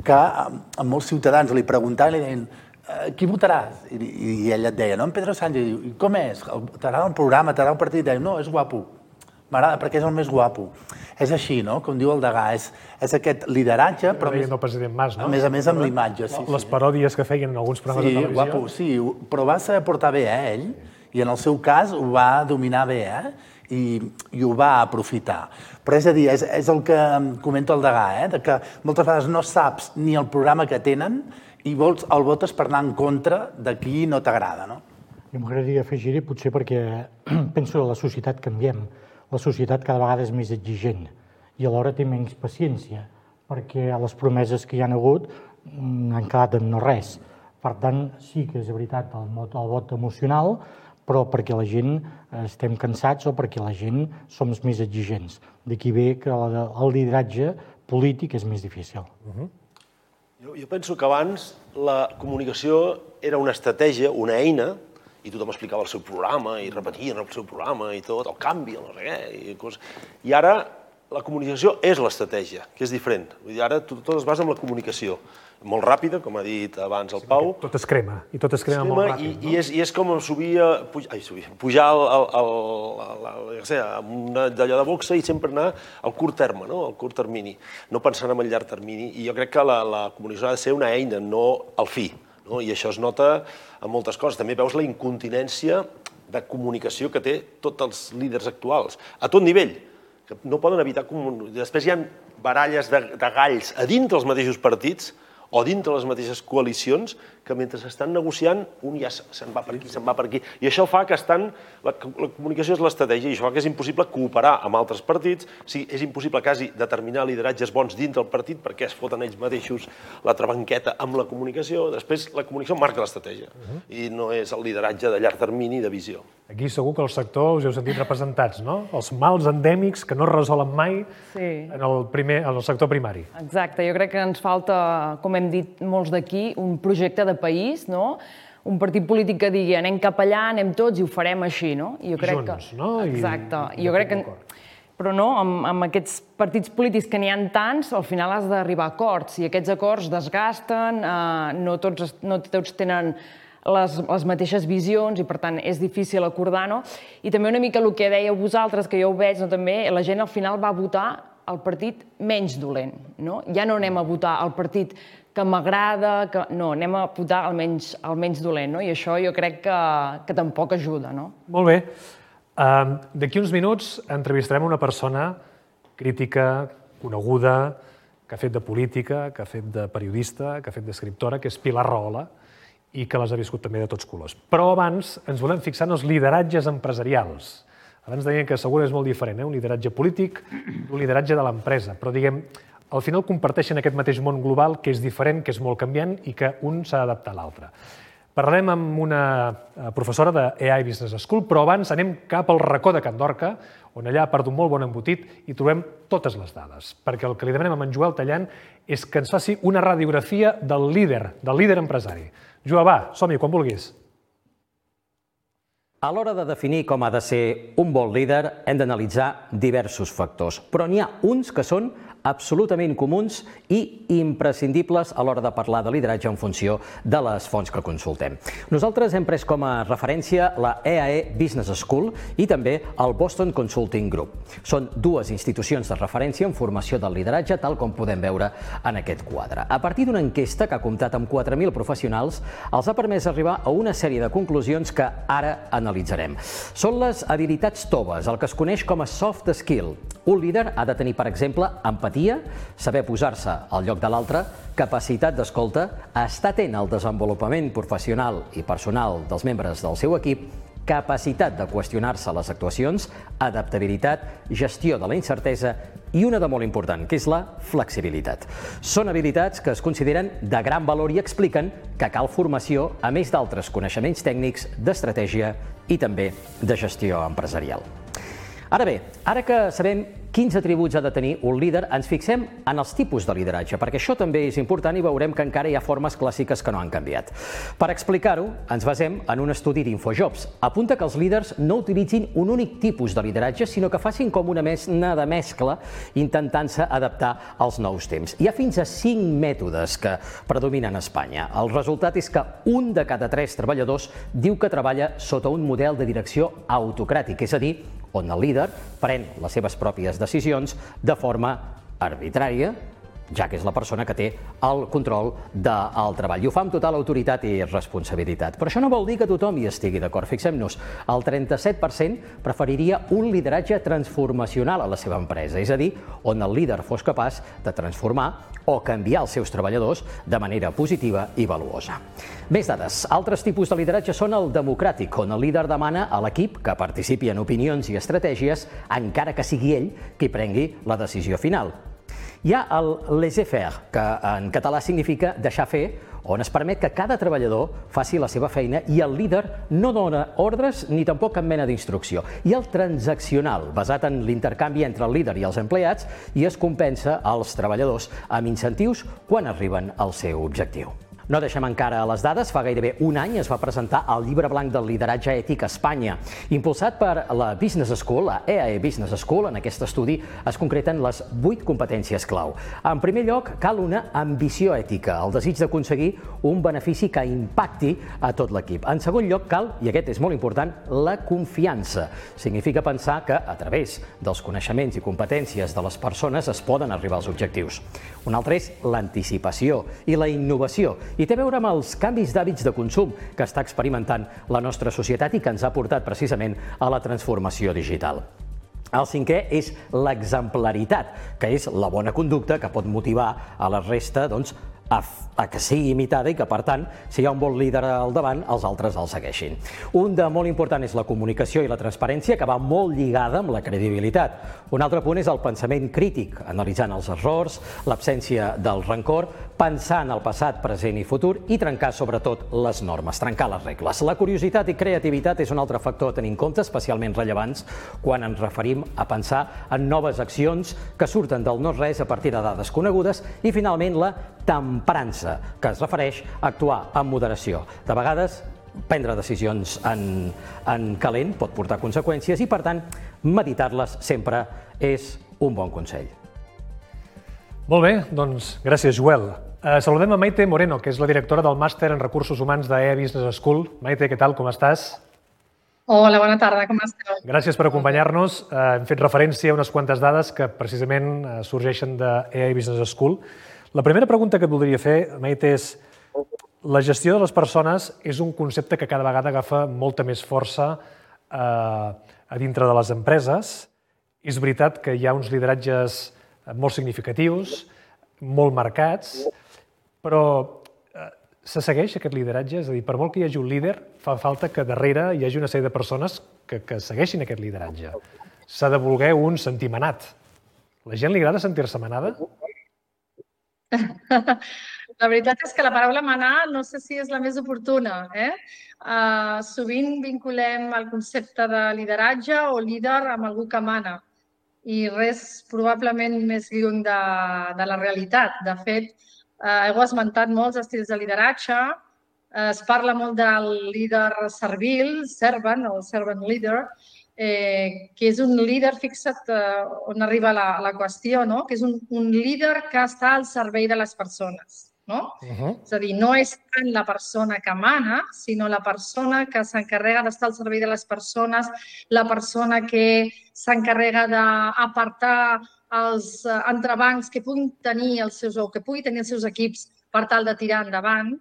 que a molts ciutadans li preguntaven i li deien qui votaràs? I ell et deia, no, en Pedro Sánchez, i com és? T'agrada el programa, t'agrada el partit? I deia, no, és guapo. M'agrada perquè és el més guapo. És així, no? Com diu el Degà, és aquest lideratge, però el president Mas, no? A més amb l'imatge. Les paròdies que feien en alguns programes de televisió. Sí, guapo, sí, però va saber portar bé, ell, i en el seu cas ho va dominar bé, i ho va aprofitar. Però és a dir, és el que comenta el Degà, que moltes vegades no saps ni el programa que tenen i el votes per anar en contra de qui no t'agrada, no? Jo m'agradaria afegir-hi, potser perquè penso que la societat canviem. La societat cada vegada és més exigent i alhora té menys paciència, perquè les promeses que hi ha hagut han quedat en no res. Per tant, sí que és veritat el vot emocional, però perquè la gent estem cansats o perquè la gent som més exigents. D'aquí ve que el lideratge polític és més difícil. Jo penso que abans la comunicació era una estratègia, una eina, i tothom explicava el seu programa i repetien el seu programa i tot, el canvi, no sé què, i ara la comunicació és l'estratègia, que és diferent. Vull dir, ara tot es basa en la comunicació, molt ràpida, com ha dit abans el Pau. Tot es crema, i tot es crema molt ràpid. I és com pujar amb d'allò de boxa i sempre anar al curt terme, al curt termini, no pensant en el llarg termini. I jo crec que la comunicació ha de ser una eina, no el fi. I això es nota en moltes coses. També veus la incontinència de comunicació que té tots els líders actuals, a tot nivell, que no poden evitar... Després hi ha baralles de galls a dintre dels mateixos partits o dintre les mateixes coalicions que mentre s'estan negociant un ja se'n va per aquí, se'n va per aquí. I això fa que la comunicació és l'estratègia i això fa que és impossible cooperar amb altres partits, és impossible quasi determinar lideratges bons dintre del partit perquè es foten ells mateixos la trabanqueta amb la comunicació. Després la comunicació marca l'estratègia i no és el lideratge de llarg termini de visió. Aquí segur que el sector us heu sentit representats, no? Els mals endèmics que no es resolen mai en el sector primari. Exacte, jo crec que ens falta, com hem dit molts d'aquí, un projecte de país, no? Un partit polític que digui anem cap allà, anem tots i ho farem així, no? Junts, no? Exacte. Jo crec que... Però no, amb aquests partits polítics que n'hi ha tants, al final has d'arribar a acords i aquests acords desgasten, no tots tenen les mateixes visions i per tant és difícil acordar, no? I també una mica el que dèieu vosaltres, que jo ho veig, també la gent al final va votar el partit menys dolent, no? Ja no anem a votar el partit que m'agrada, no, anem a votar el menys dolent, no? I això jo crec que tampoc ajuda, no? Molt bé. D'aquí uns minuts entrevistarem una persona crítica, coneguda, que ha fet de política, que ha fet de periodista, que ha fet d'escriptora, que és Pilar Rahola, i que les ha viscut també de tots colors. Però abans ens volem fixar en els lideratges empresarials. Abans deien que segur és molt diferent, un lideratge polític d'un lideratge de l'empresa, però diguem, al final comparteixen aquest mateix món global que és diferent, que és molt canviant i que un s'ha d'adaptar a l'altre. Parlarem amb una professora de AI Business School, però abans anem cap al racó de Can Dorca, on allà, a part d'un molt bon embotit, hi trobem totes les dades. Perquè el que li demanem a en Joel Tallant és que ens faci una radiografia del líder empresari. Joel, va, som-hi, quan vulguis. A l'hora de definir com ha de ser un bon líder, hem d'analitzar diversos factors, però n'hi ha uns que són absolutament comuns i imprescindibles a l'hora de parlar de lideratge en funció de les fonts que consultem. Nosaltres hem pres com a referència la EAE Business School i també el Boston Consulting Group. Són dues institucions de referència en formació del lideratge, tal com podem veure en aquest quadre. A partir d'una enquesta que ha comptat amb 4.000 professionals, els ha permès arribar a una sèrie de conclusions que ara analitzarem. Són les habilitats toves, el que es coneix com a soft skill. Un líder ha de tenir, per exemple, empatia, saber posar-se al lloc de l'altre, capacitat d'escolta, estar atent al desenvolupament professional i personal dels membres del seu equip, capacitat de qüestionar-se les actuacions, adaptabilitat, gestió de la incertesa i una de molt important, que és la flexibilitat. Són habilitats que es consideren de gran valor i expliquen que cal formació, a més d'altres coneixements tècnics, d'estratègia i també de gestió empresarial. Ara bé, ara que sabem quins atributs ha de tenir un líder, ens fixem en els tipus de lideratge, perquè això també és important i veurem que encara hi ha formes clàssiques que no han canviat. Per explicar-ho, ens basem en un estudi d'Infojobs. Apunta que els líders no utilitzin un únic tipus de lideratge, sinó que facin com una mena de mescla intentant-se adaptar als nous temps. Hi ha fins a 5 mètodes que predominen a Espanya. El resultat és que un de cada 3 treballadors diu que treballa sota un model de direcció autocràtic, és a dir, on el líder pren les seves pròpies decisions de forma arbitrària, ja que és la persona que té el control del treball. I ho fa amb total autoritat i responsabilitat. Però això no vol dir que tothom hi estigui d'acord. Fixem-nos, el 37% preferiria un lideratge transformacional a la seva empresa, és a dir, on el líder fos capaç de transformar o canviar els seus treballadors de manera positiva i valuosa. Més dades. Altres tipus de lideratge són el democràtic, on el líder demana a l'equip que participi en opinions i estratègies, encara que sigui ell qui prengui la decisió final. Hi ha el laissez-faire, que en català significa deixar fer, on es permet que cada treballador faci la seva feina i el líder no dona ordres ni tampoc cap mena d'instrucció. I el transaccional, basat en l'intercanvi entre el líder i els empleats, i es compensa als treballadors amb incentius quan arriben al seu objectiu. No deixem encara les dades. Fa gairebé un any es va presentar el llibre blanc del lideratge ètic a Espanya. Impulsat per la Business School, la EAE Business School, en aquest estudi es concreten les 8 competències clau. En primer lloc, cal una ambició ètica, el desig d'aconseguir un benefici que impacti a tot l'equip. En segon lloc, cal, i aquest és molt important, la confiança. Significa pensar que, a través dels coneixements i competències de les persones, es poden arribar als objectius. Un altre és l'anticipació i la innovació, i té a veure amb els canvis d'hàbits de consum que està experimentant la nostra societat i que ens ha portat precisament a la transformació digital. El cinquè és l'exemplaritat, que és la bona conducta que pot motivar a la resta a que sigui imitada i que, per tant, si hi ha un bon líder al davant, els altres el segueixin. Un de molt important és la comunicació i la transparència, que va molt lligada amb la credibilitat. Un altre punt és el pensament crític, analitzant els errors, l'absència del rancor, pensar en el passat, present i futur i trencar, sobretot, les normes, trencar les regles. La curiositat i creativitat és un altre factor a tenir en compte, especialment rellevants quan ens referim a pensar en noves accions que surten del no-res a partir de dades conegudes i, finalment, la temperança, que es refereix a actuar amb moderació. De vegades, prendre decisions en calent pot portar conseqüències i, per tant, meditar-les sempre és un bon consell. Molt bé, doncs gràcies, Joel. Saludem a Maite Moreno, que és la directora del Màster en Recursos Humans d'EAE Business School. Maite, què tal, com estàs? Hola, bona tarda, com esteu? Gràcies per acompanyar-nos. Hem fet referència a unes quantes dades que precisament sorgeixen d'EAE Business School. La primera pregunta que et voldria fer, Maite, és la gestió de les persones és un concepte que cada vegada agafa molta més força a dintre de les empreses. És veritat que hi ha uns lideratges molt significatius, molt marcats, però se segueix aquest lideratge? És a dir, per molt que hi hagi un líder, fa falta que darrere hi hagi una sèrie de persones que segueixin aquest lideratge. S'ha de voler un sentir manat. La gent li agrada sentir-se manada? La veritat és que la paraula manar no sé si és la més oportuna. Sovint vinculem el concepte de lideratge o líder amb algú que mana i res probablement més lluny de la realitat. De fet, heu esmentat molts estils de lideratge, es parla molt del líder servil, servant o servant leader, que és un líder, fixa't on arriba la qüestió, que és un líder que està al servei de les persones. És a dir, no és tant la persona que mana, sinó la persona que s'encarrega d'estar al servei de les persones, la persona que s'encarrega d'apartar els entrebancs que puguin tenir els seus equips per tal de tirar endavant.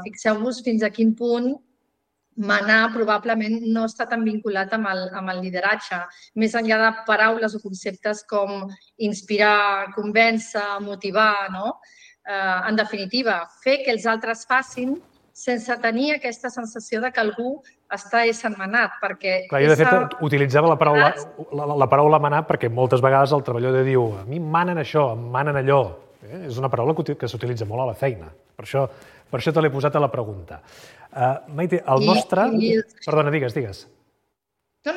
Fixeu-vos fins a quin punt manar probablement no està tan vinculat amb el lideratge. Més enllà de paraules o conceptes com inspirar, convèncer, motivar, en definitiva, fer que els altres facin sense tenir aquesta sensació de que algú està essent manat, perquè... Clar, jo de fet utilitzava la paraula manar perquè moltes vegades el treballador diu a mi em manen això, em manen allò. És una paraula que s'utilitza molt a la feina. Per això te l'he posat a la pregunta. Maite, el nostre... Perdona, digues. No,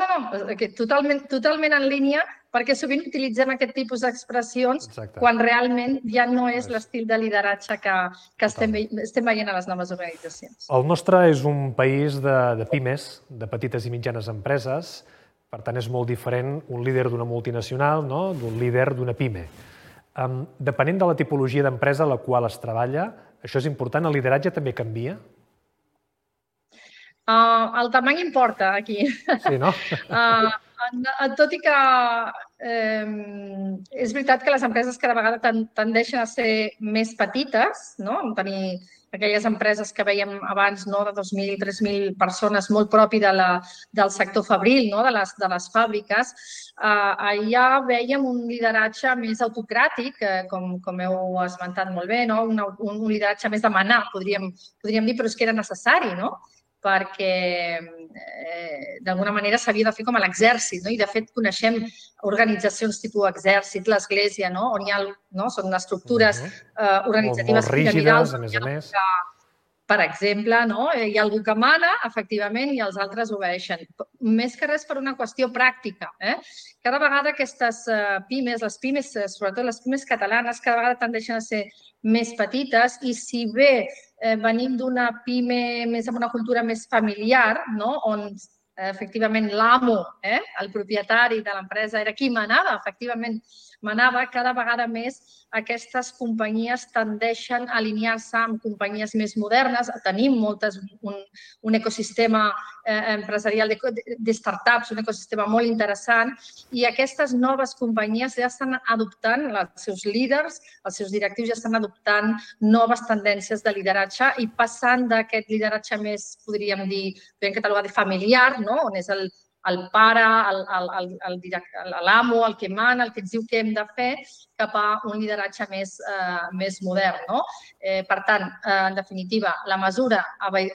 totalment en línia, perquè sovint utilitzem aquest tipus d'expressions quan realment ja no és l'estil de lideratge que estem veient a les noves organitzacions. El nostre és un país de pimes, de petites i mitjanes empreses, per tant és molt diferent un líder d'una multinacional d'un líder d'una pime. Depenent de la tipologia d'empresa a la qual es treballa, això és important, el lideratge també canvia? El tamany importa, aquí. Sí, no? Tot i que és veritat que les empreses cada vegada tendeixen a ser més petites, tenir aquelles empreses que veiem abans de 2.000 i 3.000 persones, molt propi del sector fabril, de les fàbriques. Allà veiem un lideratge més autocràtic, com heu esmentat molt bé, un lideratge més de manar, podríem dir, però és que era necessari, perquè d'alguna manera s'havia de fer com a l'exèrcit, i de fet coneixem organitzacions tipus exèrcit, l'església, on hi ha, són estructures organitzatives piramidals. Molt rígides, a més a més. Per exemple, hi ha algú que mana, efectivament, i els altres obeeixen. Més que res per una qüestió pràctica. Cada vegada aquestes pimes, les pimes, sobretot les pimes catalanes, cada vegada tendeixen a ser més petites i si bé venim d'una pime més amb una cultura més familiar, on efectivament l'amo, el propietari de l'empresa, era qui manava, efectivament manava, cada vegada més aquestes companyies tendeixen a alinear-se amb companyies més modernes. Tenim un ecosistema empresarial de startups, un ecosistema molt interessant, i aquestes noves companyies ja estan adoptant, els seus líders, els seus directius ja estan adoptant noves tendències de lideratge i passant d'aquest lideratge més, podríem dir, podríem catalogar de familiar, on és el pare, l'amo, el que mana, el que ens diu què hem de fer, cap a un lideratge més modern. Per tant, en definitiva, la mesura,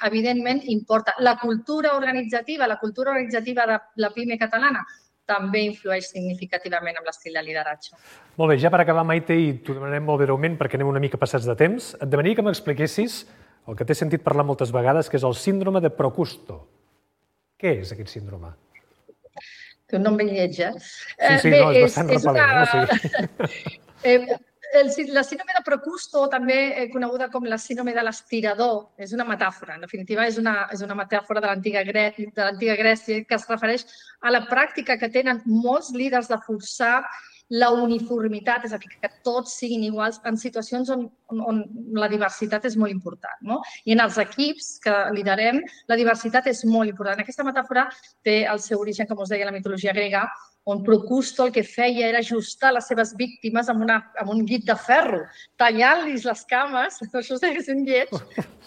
evidentment, importa. La cultura organitzativa de la pime catalana també influeix significativament en l'estil de lideratge. Molt bé, ja per acabar, Maite, i t'ho demanarem molt breument perquè anem una mica passats de temps, et demanaria que m'expliquessis el que t'he sentit parlar moltes vegades, que és el síndrome de Procusto. Què és aquest síndrome? Té un nom ben lleig, Sí, no, és bastant repel·lent. La síndrome de Procusto, també coneguda com la síndrome de l'aspirador, és una metàfora. En definitiva, és una metàfora de l'antiga Grècia que es refereix a la pràctica que tenen molts líders de forçar la uniformitat, és a dir, que tots siguin iguals en situacions on la diversitat és molt important. I en els equips que liderem, la diversitat és molt important. Aquesta metàfora té el seu origen, com us deia, a la mitologia grega, on Procusto el que feia era ajustar les seves víctimes amb un guit de ferro, tallant-los les cames, això és un lleig,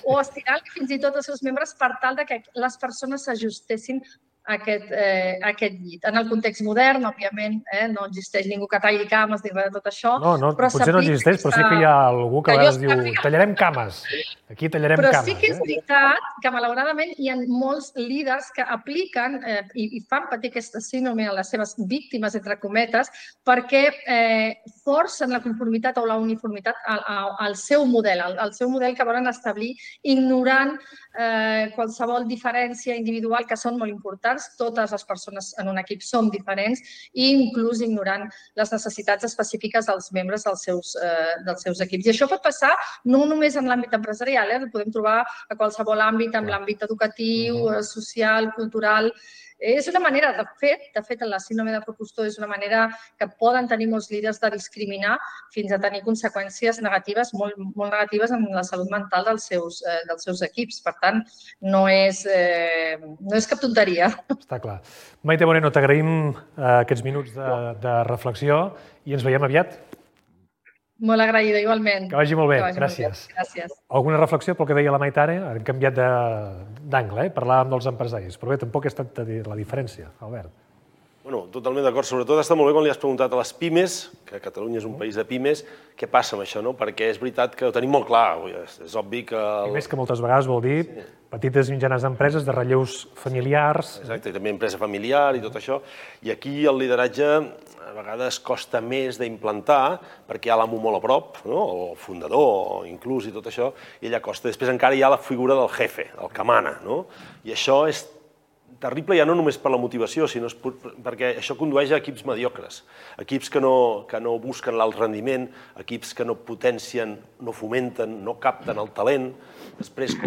o estirant-li fins i tot els seus membres per tal que les persones s'ajustessin a aquest llit. En el context modern, òbviament, no existeix ningú que talli cames ni res de tot això. No, potser no existeix, però sí que hi ha algú que a vegades diu tallarem cames. Aquí tallarem cames. Però sí que és veritat que, malauradament, hi ha molts líders que apliquen i fan patir aquesta síndrome a les seves víctimes, entre cometes, perquè forcen la conformitat o la uniformitat al seu model que volen establir, ignorant qualsevol diferència individual, que són molt importants. Totes les persones en un equip som diferents i inclús ignorant les necessitats específiques dels membres dels seus equips. I això pot passar no només en l'àmbit empresarial, ho podem trobar a qualsevol àmbit, en l'àmbit educatiu, social, cultural. És una manera, de fet, la síndrome de propostor és una manera que poden tenir molts líders de discriminar fins a tenir conseqüències negatives, molt negatives en la salut mental dels seus equips. Per tant, no és cap tonteria. Està clar. Maite Moreno, t'agraïm aquests minuts de reflexió i ens veiem aviat. Molt agraïda, igualment. Que vagi molt bé, gràcies. Gràcies. Alguna reflexió pel que deia la Maite ara? Hem canviat d'angle, parlàvem dels empresaris, però bé, tampoc és tanta la diferència, Albert. Bueno, totalment d'acord. Sobretot està molt bé quan li has preguntat a les pimes, que Catalunya és un país de pimes, què passa amb això, no? Perquè és veritat que ho tenim molt clar. És obvi que... Pimes que moltes vegades vol dir petites i mitjanes empreses de relleus familiars. Exacte, i també empresa familiar i tot això. I aquí el lideratge a vegades costa més d'implantar perquè hi ha l'amo molt a prop, o el fundador, o inclús i tot això, i allà costa. Després encara hi ha la figura del jefe, el que mana, i això és terrible ja no només per la motivació, sinó perquè això condueix a equips mediocres, equips que no busquen l'alt rendiment, equips que no potencien, no fomenten, no capten el talent. Després,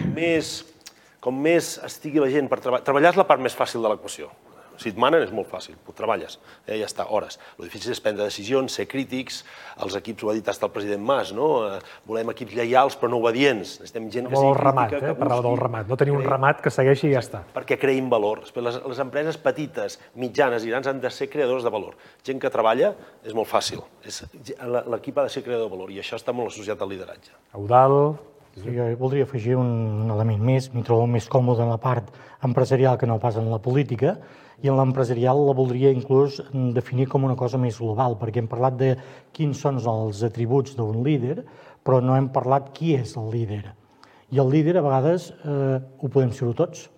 com més estigui la gent per treballar... Treballar és la part més fàcil de l'equació. Si et manen és molt fàcil, ho treballes, ja està, hores. El difícil és prendre decisions, ser crítics, els equips, ho ha dit el president Mas, volem equips lleials però no obedients, necessitem gent que sigui crítica, que busqui... Parlava del ramat, no tenir un ramat que segueixi i ja està. Perquè creïn valor. Les empreses petites, mitjanes i grans han de ser creadors de valor. Gent que treballa és molt fàcil, l'equip ha de ser creador de valor i això està molt associat al lideratge. Eudald... Jo voldria afegir un element més, m'hi trobo més còmode en la part empresarial que no pas en la política, i en l'empresarial la voldria inclús definir com una cosa més global, perquè hem parlat de quins són els atributs d'un líder, però no hem parlat qui és el líder. I el líder a vegades ho podem ser-ho tots.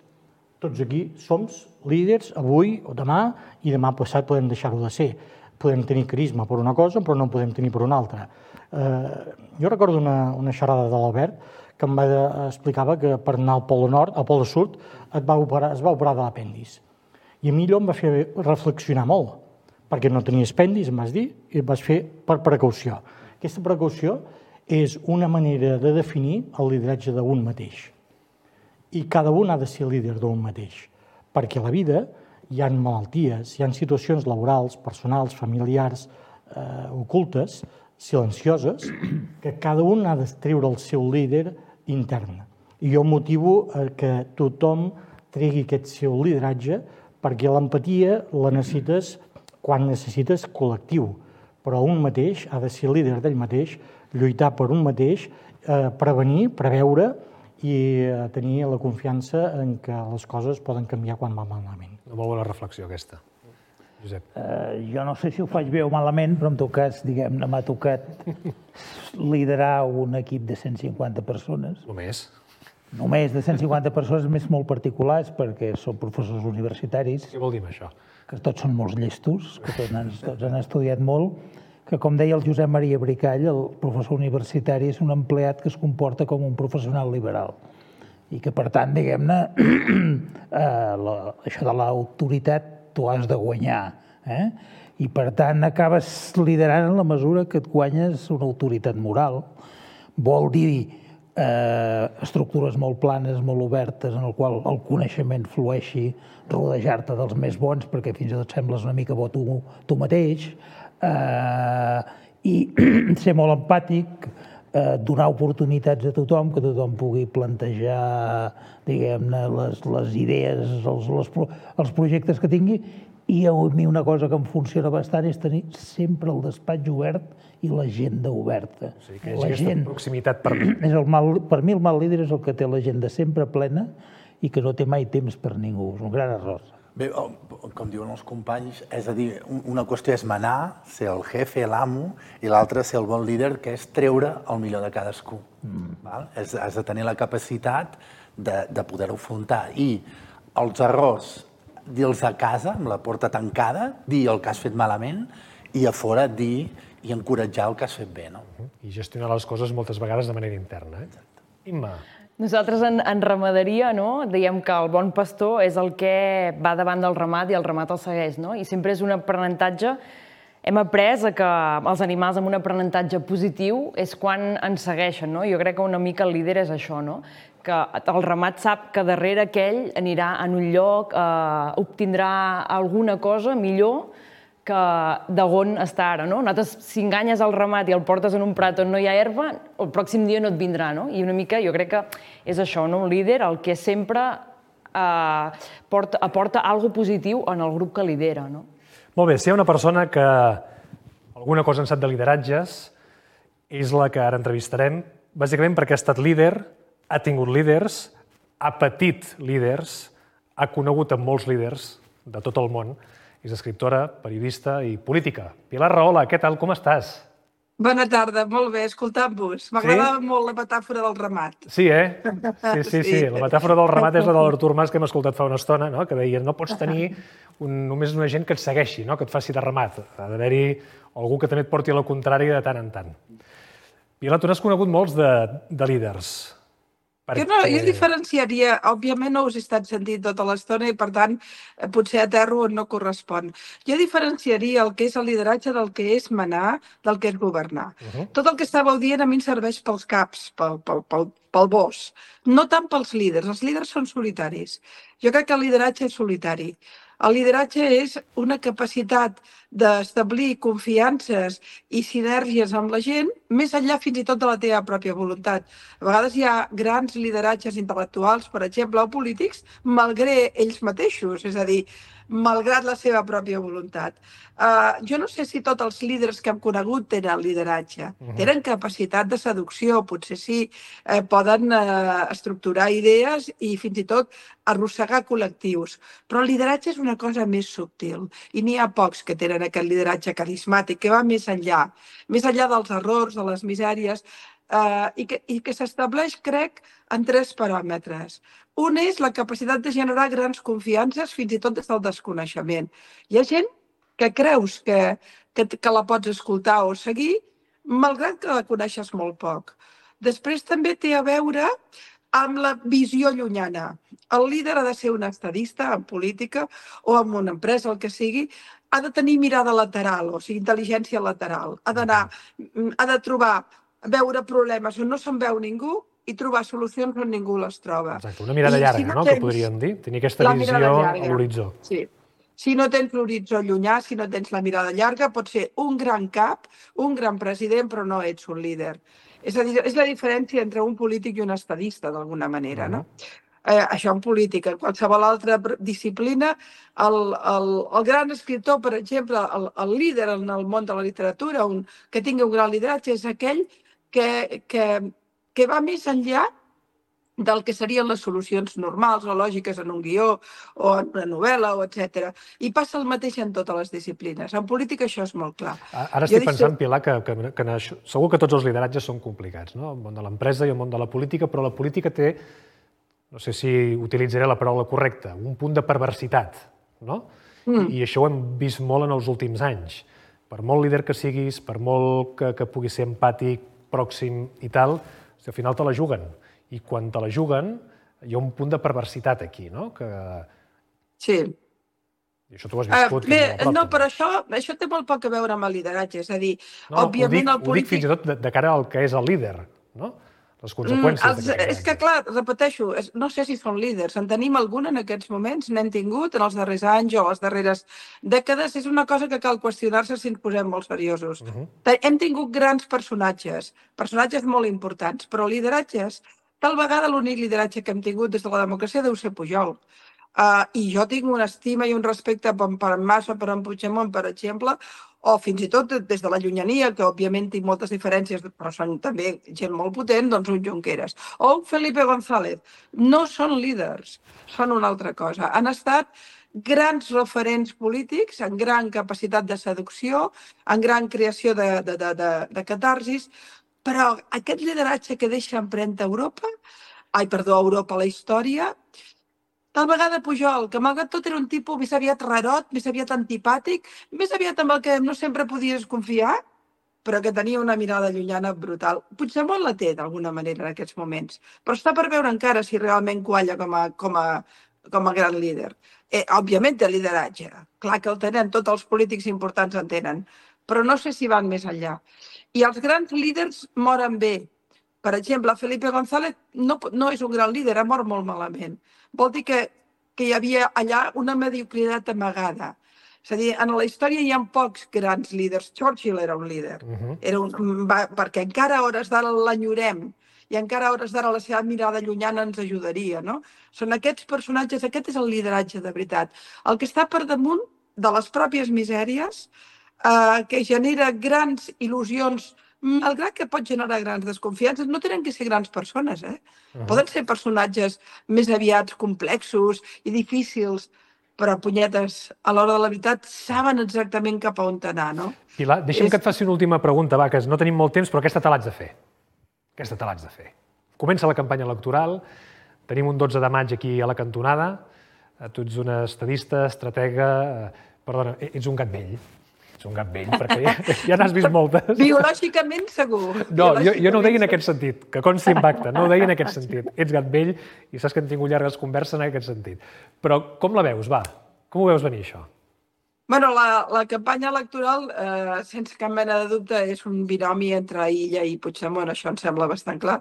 Tots aquí som líders avui o demà, i demà passat podem deixar-ho de ser. Podem tenir carisma per una cosa, però no en podem tenir per una altra. Jo recordo una xerrada de l'Albert que em explicava que per anar al Pol Nord, al Pol Sud, es va operar de l'apèndix. I a mi allò em va fer reflexionar molt, perquè no tenia apèndix, em vas dir, i em vas fer per precaució. Aquesta precaució és una manera de definir el lideratge d'un mateix. I cada un ha de ser líder d'un mateix, perquè a la vida hi ha malalties, hi ha situacions laborals, personals, familiars, ocultes, silencioses, que cada un ha de treure el seu líder intern. I jo motivo que tothom tregui aquest seu lideratge, perquè l'empatia la necessites quan necessites col·lectiu, però un mateix ha de ser líder d'ell mateix, lluitar per un mateix, prevenir, preveure i tenir la confiança en que les coses poden canviar quan va malament. Una molt bona reflexió aquesta. Josep. Jo no sé si ho faig bé o malament, però en tot cas, diguem-ne, m'ha tocat liderar un equip de 150 persones. Només? Només de 150 persones, més molt particulars, perquè són professors universitaris. Què vol dir això? Que tots són molts llestos, que tots han estudiat molt, que com deia el Josep Maria Bricall, el professor universitari és un empleat que es comporta com un professional liberal. I que, per tant, diguem-ne, això de l'autoritat t'ho has de guanyar. I, per tant, acabes liderant en la mesura que et guanyes una autoritat moral. Vol dir estructures molt planes, molt obertes, en el qual el coneixement flueixi, rodejar-te dels més bons, perquè fins i tot sembles una mica bo tu mateix, i ser molt empàtic, donar oportunitats a tothom, que tothom pugui plantejar, diguem-ne, les idees, els projectes que tingui, i a mi una cosa que em funciona bastant és tenir sempre el despatx obert i l'agenda oberta. O sigui, que és aquesta proximitat per mi. Per mi el mal líder és el que té l'agenda sempre plena i que no té mai temps per ningú. És un gran error. Bé, com diuen els companys, és a dir, una qüestió és manar, ser el jefe, l'amo, i l'altra ser el bon líder, que és treure el millor de cadascú. Has de tenir la capacitat de poder-ho afrontar. I els errors, dir-los a casa, amb la porta tancada, dir el que has fet malament, i a fora dir i encoratjar el que has fet bé. I gestionar les coses moltes vegades de manera interna. Imma. Nosaltres en ramaderia diem que el bon pastor és el que va davant del ramat i el ramat el segueix. I sempre és un aprenentatge. Hem après que els animals amb un aprenentatge positiu és quan ens segueixen. Jo crec que una mica el líder és això, que el ramat sap que darrere aquell anirà en un lloc, obtindrà alguna cosa millor que d'on està ara. Nosaltres, si enganyes el ramat i el portes en un prat on no hi ha herba, el pròxim dia no et vindrà. I una mica jo crec que és això, un líder, el que sempre aporta alguna positiu en el grup que lidera. Molt bé, si hi ha una persona que alguna cosa en sap de lideratges, és la que ara entrevistarem, bàsicament perquè ha estat líder, ha tingut líders, ha patit líders, ha conegut amb molts líders de tot el món. És escriptora, periodista i política. Pilar Rahola, què tal? Com estàs? Bona tarda, molt bé, escoltant-vos. M'agradava molt la metàfora del ramat. Sí, Sí. La metàfora del ramat és la de l'Artur Mas que hem escoltat fa una estona, que deia no pots tenir només una gent que et segueixi, que et faci de ramat. Ha d'haver-hi algú que també et porti a la contrària de tant en tant. Pilar, tu n'has conegut molts de líders. Jo diferenciaria, òbviament no us he estat sentint tota l'estona i per tant potser aterro on no correspon. Jo diferenciaria el que és el lideratge del que és manar, del que és governar. Tot el que estàveu dient a mi em serveix pels caps, pel bos, no tant pels líders. Els líders són solitaris. Jo crec que el lideratge és solitari. El lideratge és una capacitat d'establir confiances i sinergies amb la gent, més enllà fins i tot de la teva pròpia voluntat. A vegades hi ha grans lideratges intel·lectuals, per exemple, o polítics, malgrat ells mateixos, és a dir, malgrat la seva pròpia voluntat. Jo no sé si tots els líders que hem conegut tenen lideratge. Tenen capacitat de seducció, potser sí, poden estructurar idees i fins i tot arrossegar col·lectius. Però el lideratge és una cosa més subtil i n'hi ha pocs que tenen aquest lideratge carismàtic, que va més enllà dels errors, de les misèries, i que s'estableix, crec, en 3 paràmetres. Un és la capacitat de generar grans confiances, fins i tot des del desconeixement. Hi ha gent que creus que la pots escoltar o seguir, malgrat que la coneixes molt poc. Després també té a veure amb la visió llunyana. El líder ha de ser un estadista en política o en una empresa, el que sigui, ha de tenir mirada lateral, o sigui, intel·ligència lateral. Ha de trobar, veure problemes on no se'n veu ningú i trobar solucions on ningú les troba. Exacte, una mirada llarga, que podríem dir? Tenir aquesta visió a l'horitzó. Sí. Si no tens l'horitzó llunyà, si no tens la mirada llarga, pots ser un gran cap, un gran president, però no ets un líder. És a dir, és la diferència entre un polític i un estadista, d'alguna manera, no? Això en política. En qualsevol altra disciplina, el gran escriptor, per exemple, el líder en el món de la literatura, que tingui un gran lideratge, és aquell que va més enllà del que serien les solucions normals o lògiques en un guió o en una novel·la, etc. I passa el mateix en totes les disciplines. En política això és molt clar. Ara estic pensant, Pilar, que segur que tots els lideratges són complicats, no? El món de l'empresa i el món de la política, però la política té, no sé si utilitzaré la paraula correcta, un punt de perversitat, no? I això ho hem vist molt en els últims anys. Per molt líder que siguis, per molt que puguis ser empàtic, pròxim i tal, al final te la juguen. I quan te la juguen, hi ha un punt de perversitat aquí, no? Sí. I això tu ho has viscut molt a prop. No, però això té molt poc a veure amb el lideratge. És a dir, òbviament el polític... Ho dic fins i tot de cara al que és el líder, no? Les conseqüències. És que, clar, repeteixo, no sé si són líders. En tenim algun en aquests moments, n'hem tingut en els darrers anys o les darreres dècades. És una cosa que cal qüestionar-se si ens posem molt seriosos. Hem tingut grans personatges molt importants, però lideratges, tal vegada l'únic lideratge que hem tingut des de la democràcia deu ser Pujol. I jo tinc una estima i un respecte per en Mas o per en Puigdemont, per exemple, o fins i tot des de la llunyania, que òbviament tinc moltes diferències, però són també gent molt potent, doncs un Junqueras. O un Felipe González. No són líders, són una altra cosa. Han estat grans referents polítics, amb gran capacitat de seducció, amb gran creació de catarsis, però aquest lideratge que deixa empremta a Europa, a la història, tal vegada Pujol, que malgrat tot era un tipus més aviat rarot, més aviat antipàtic, més aviat amb el que no sempre podies confiar, però que tenia una mirada llunyana brutal. Puigdemont la té, d'alguna manera, en aquests moments, però està per veure encara si realment qualla com a gran líder. Òbviament té lideratge, clar que el tenen, tots els polítics importants en tenen, però no sé si van més enllà. I els grans líders moren bé, Per exemple, Felipe González no és un gran líder, ha mort molt malament. Vol dir que hi havia allà una mediocritat amagada. És a dir, en la història hi ha pocs grans líders. Churchill era un líder, perquè encara a hores d'ara l'enyorem i encara a hores d'ara la seva mirada llunyana ens ajudaria, no? Són aquests personatges, aquest és el lideratge de veritat. El que està per damunt de les pròpies misèries, que genera grans il·lusions, malgrat que pot generar grans desconfiances, no tenen que ser grans persones, Poden ser personatges més aviat complexos i difícils, però, punyetes, a l'hora de la veritat, saben exactament cap a on anar, no? Pilar, deixa'm que et faci una última pregunta, va, que no tenim molt temps, però aquesta te l'haig de fer. Comença la campanya electoral, tenim un 12 de maig aquí a la cantonada, tu ets una estadista, estratega, perdona, ets un gat vell. Ets un gat vell, perquè ja n'has vist moltes. Biològicament, segur. No, jo no ho deia en aquest sentit, que consti en acte, no ho deia en aquest sentit. Ets gat vell i saps que hem tingut llargues converses en aquest sentit. Però com la veus, va? Com ho veus venir, això? Bueno, la campanya electoral, sense cap mena de dubte, és un binomi entre Illa i Puigdemont, això em sembla bastant clar.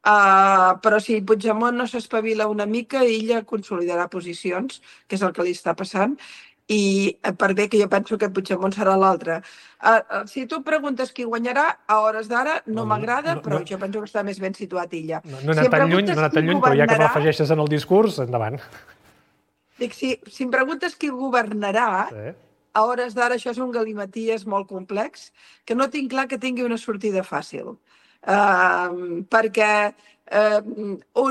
Però si Puigdemont no s'espavila una mica, Illa consolidarà posicions, que és el que li està passant, i per bé que jo penso que Puigdemont serà l'altre. Si tu preguntes qui guanyarà, a hores d'ara no m'agrada, però jo penso que està més ben situat Illa. No he anat tan lluny, però ja que m'afegeixes en el discurs, endavant. Dic, si em preguntes qui governarà, a hores d'ara això és un galimaties molt complex, que no tinc clar que tingui una sortida fàcil. Perquè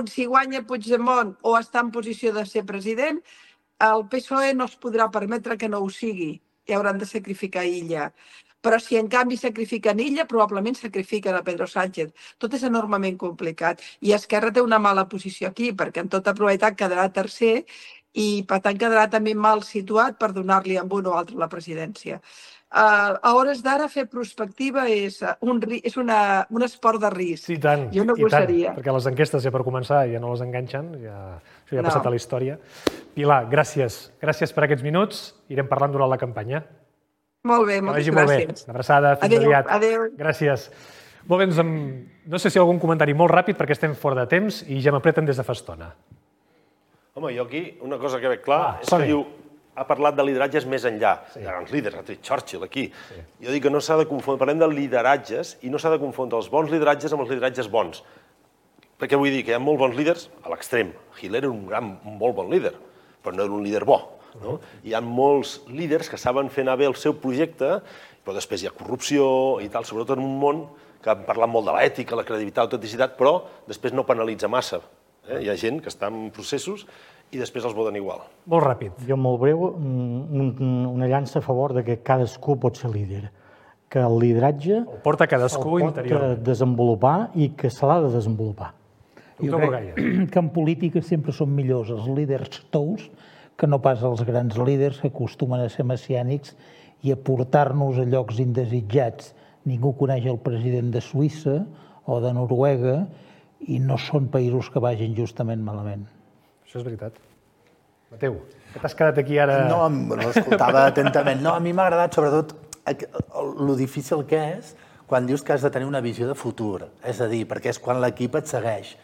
si guanya Puigdemont o està en posició de ser president, el PSOE no es podrà permetre que no ho sigui i hauran de sacrificar Illa. Però si en canvi sacrifiquen Illa, probablement sacrifiquen a Pedro Sánchez. Tot és enormement complicat. I Esquerra té una mala posició aquí, perquè en tota probabilitat quedarà tercer i per tant quedarà també mal situat per donar-li amb un o altre la presidència. A hores d'ara fer prospectiva és un esport de risc. Sí, tant. Jo no gosaria. Perquè les enquestes ja per començar ja no les enganxen, això ja ha passat a la història. Pilar, gràcies. Gràcies per aquests minuts. Irem parlant durant la campanya. Molt bé, moltes gràcies. Una abraçada, fins aviat. Adéu. Gràcies. Molt bé, no sé si hi ha algun comentari molt ràpid perquè estem fora de temps i ja m'apreten des de fa estona. Home, jo aquí una cosa que veig clar és que diu ha parlat de lideratges més enllà. Hi ha grans líders, ha tret Churchill aquí. Jo dic que no s'ha de confondre, parlem de lideratges i no s'ha de confondre els bons lideratges amb els lideratges bons. Perquè vull dir que hi ha molt bons líders a l'extrem. Hitler era un molt bon líder, però no era un líder bo. Hi ha molts líders que saben fer anar bé el seu projecte, però després hi ha corrupció i tal, sobretot en un món que han parlat molt de l'ètica, la credibilitat, l'autenticitat, però després no penalitza massa. Hi ha gent que està en processos i després els voten igual. Molt ràpid. Jo, molt breu, una llança a favor de que cadascú pot ser líder, que el lideratge el porta cadascú interior. El pot desenvolupar i que se l'ha de desenvolupar. Jo crec que en política sempre són millors els líders tous que no pas els grans líders que acostumen a ser messiànics i a portar-nos a llocs indesitjats. Ningú coneix el president de Suïssa o de Noruega i no són països que vagin justament malament. Això és veritat. Mateu, que t'has quedat aquí ara... No, l'escoltava atentament. No, a mi m'ha agradat sobretot lo difícil que és quan dius que has de tenir una visió de futur. És a dir, perquè és quan l'equip et segueix.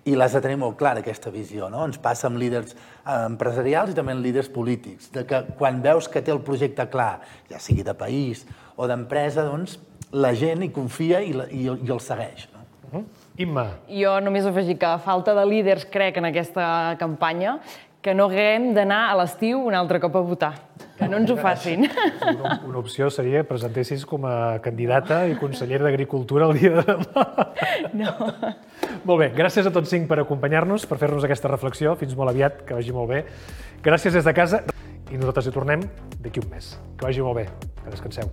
I l'has de tenir molt clara, aquesta visió, no? Ens passa amb líders empresarials i també amb líders polítics, de que quan veus que té el projecte clar, ja sigui de país o d'empresa, doncs la gent hi confia i el segueix. Imma. Jo només afegir que a falta de líders, crec, en aquesta campanya, que no haguem d'anar a l'estiu un altre cop a votar. Que no ens ho facin. Una opció seria que presentessis com a candidata i consellera d'Agricultura el dia de demà. No. Molt bé, gràcies a tots 5 per acompanyar-nos, per fer-nos aquesta reflexió. Fins molt aviat, que vagi molt bé. Gràcies des de casa i nosaltres hi tornem d'aquí un mes. Que vagi molt bé, que descanseu.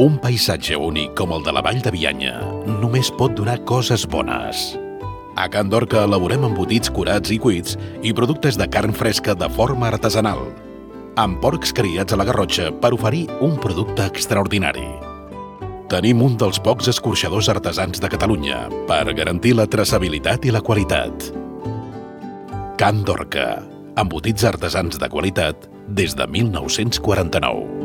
Un paisatge únic com el de la Vall de Bianya només pot donar coses bones. A Can Dorca elaborem embotits curats i cuits i productes de carn fresca de forma artesanal, amb porcs criats a la Garrotxa per oferir un producte extraordinari. Tenim un dels pocs escorxadors artesans de Catalunya per garantir la traçabilitat i la qualitat. Can Dorca, embotits artesans de qualitat des de 1949.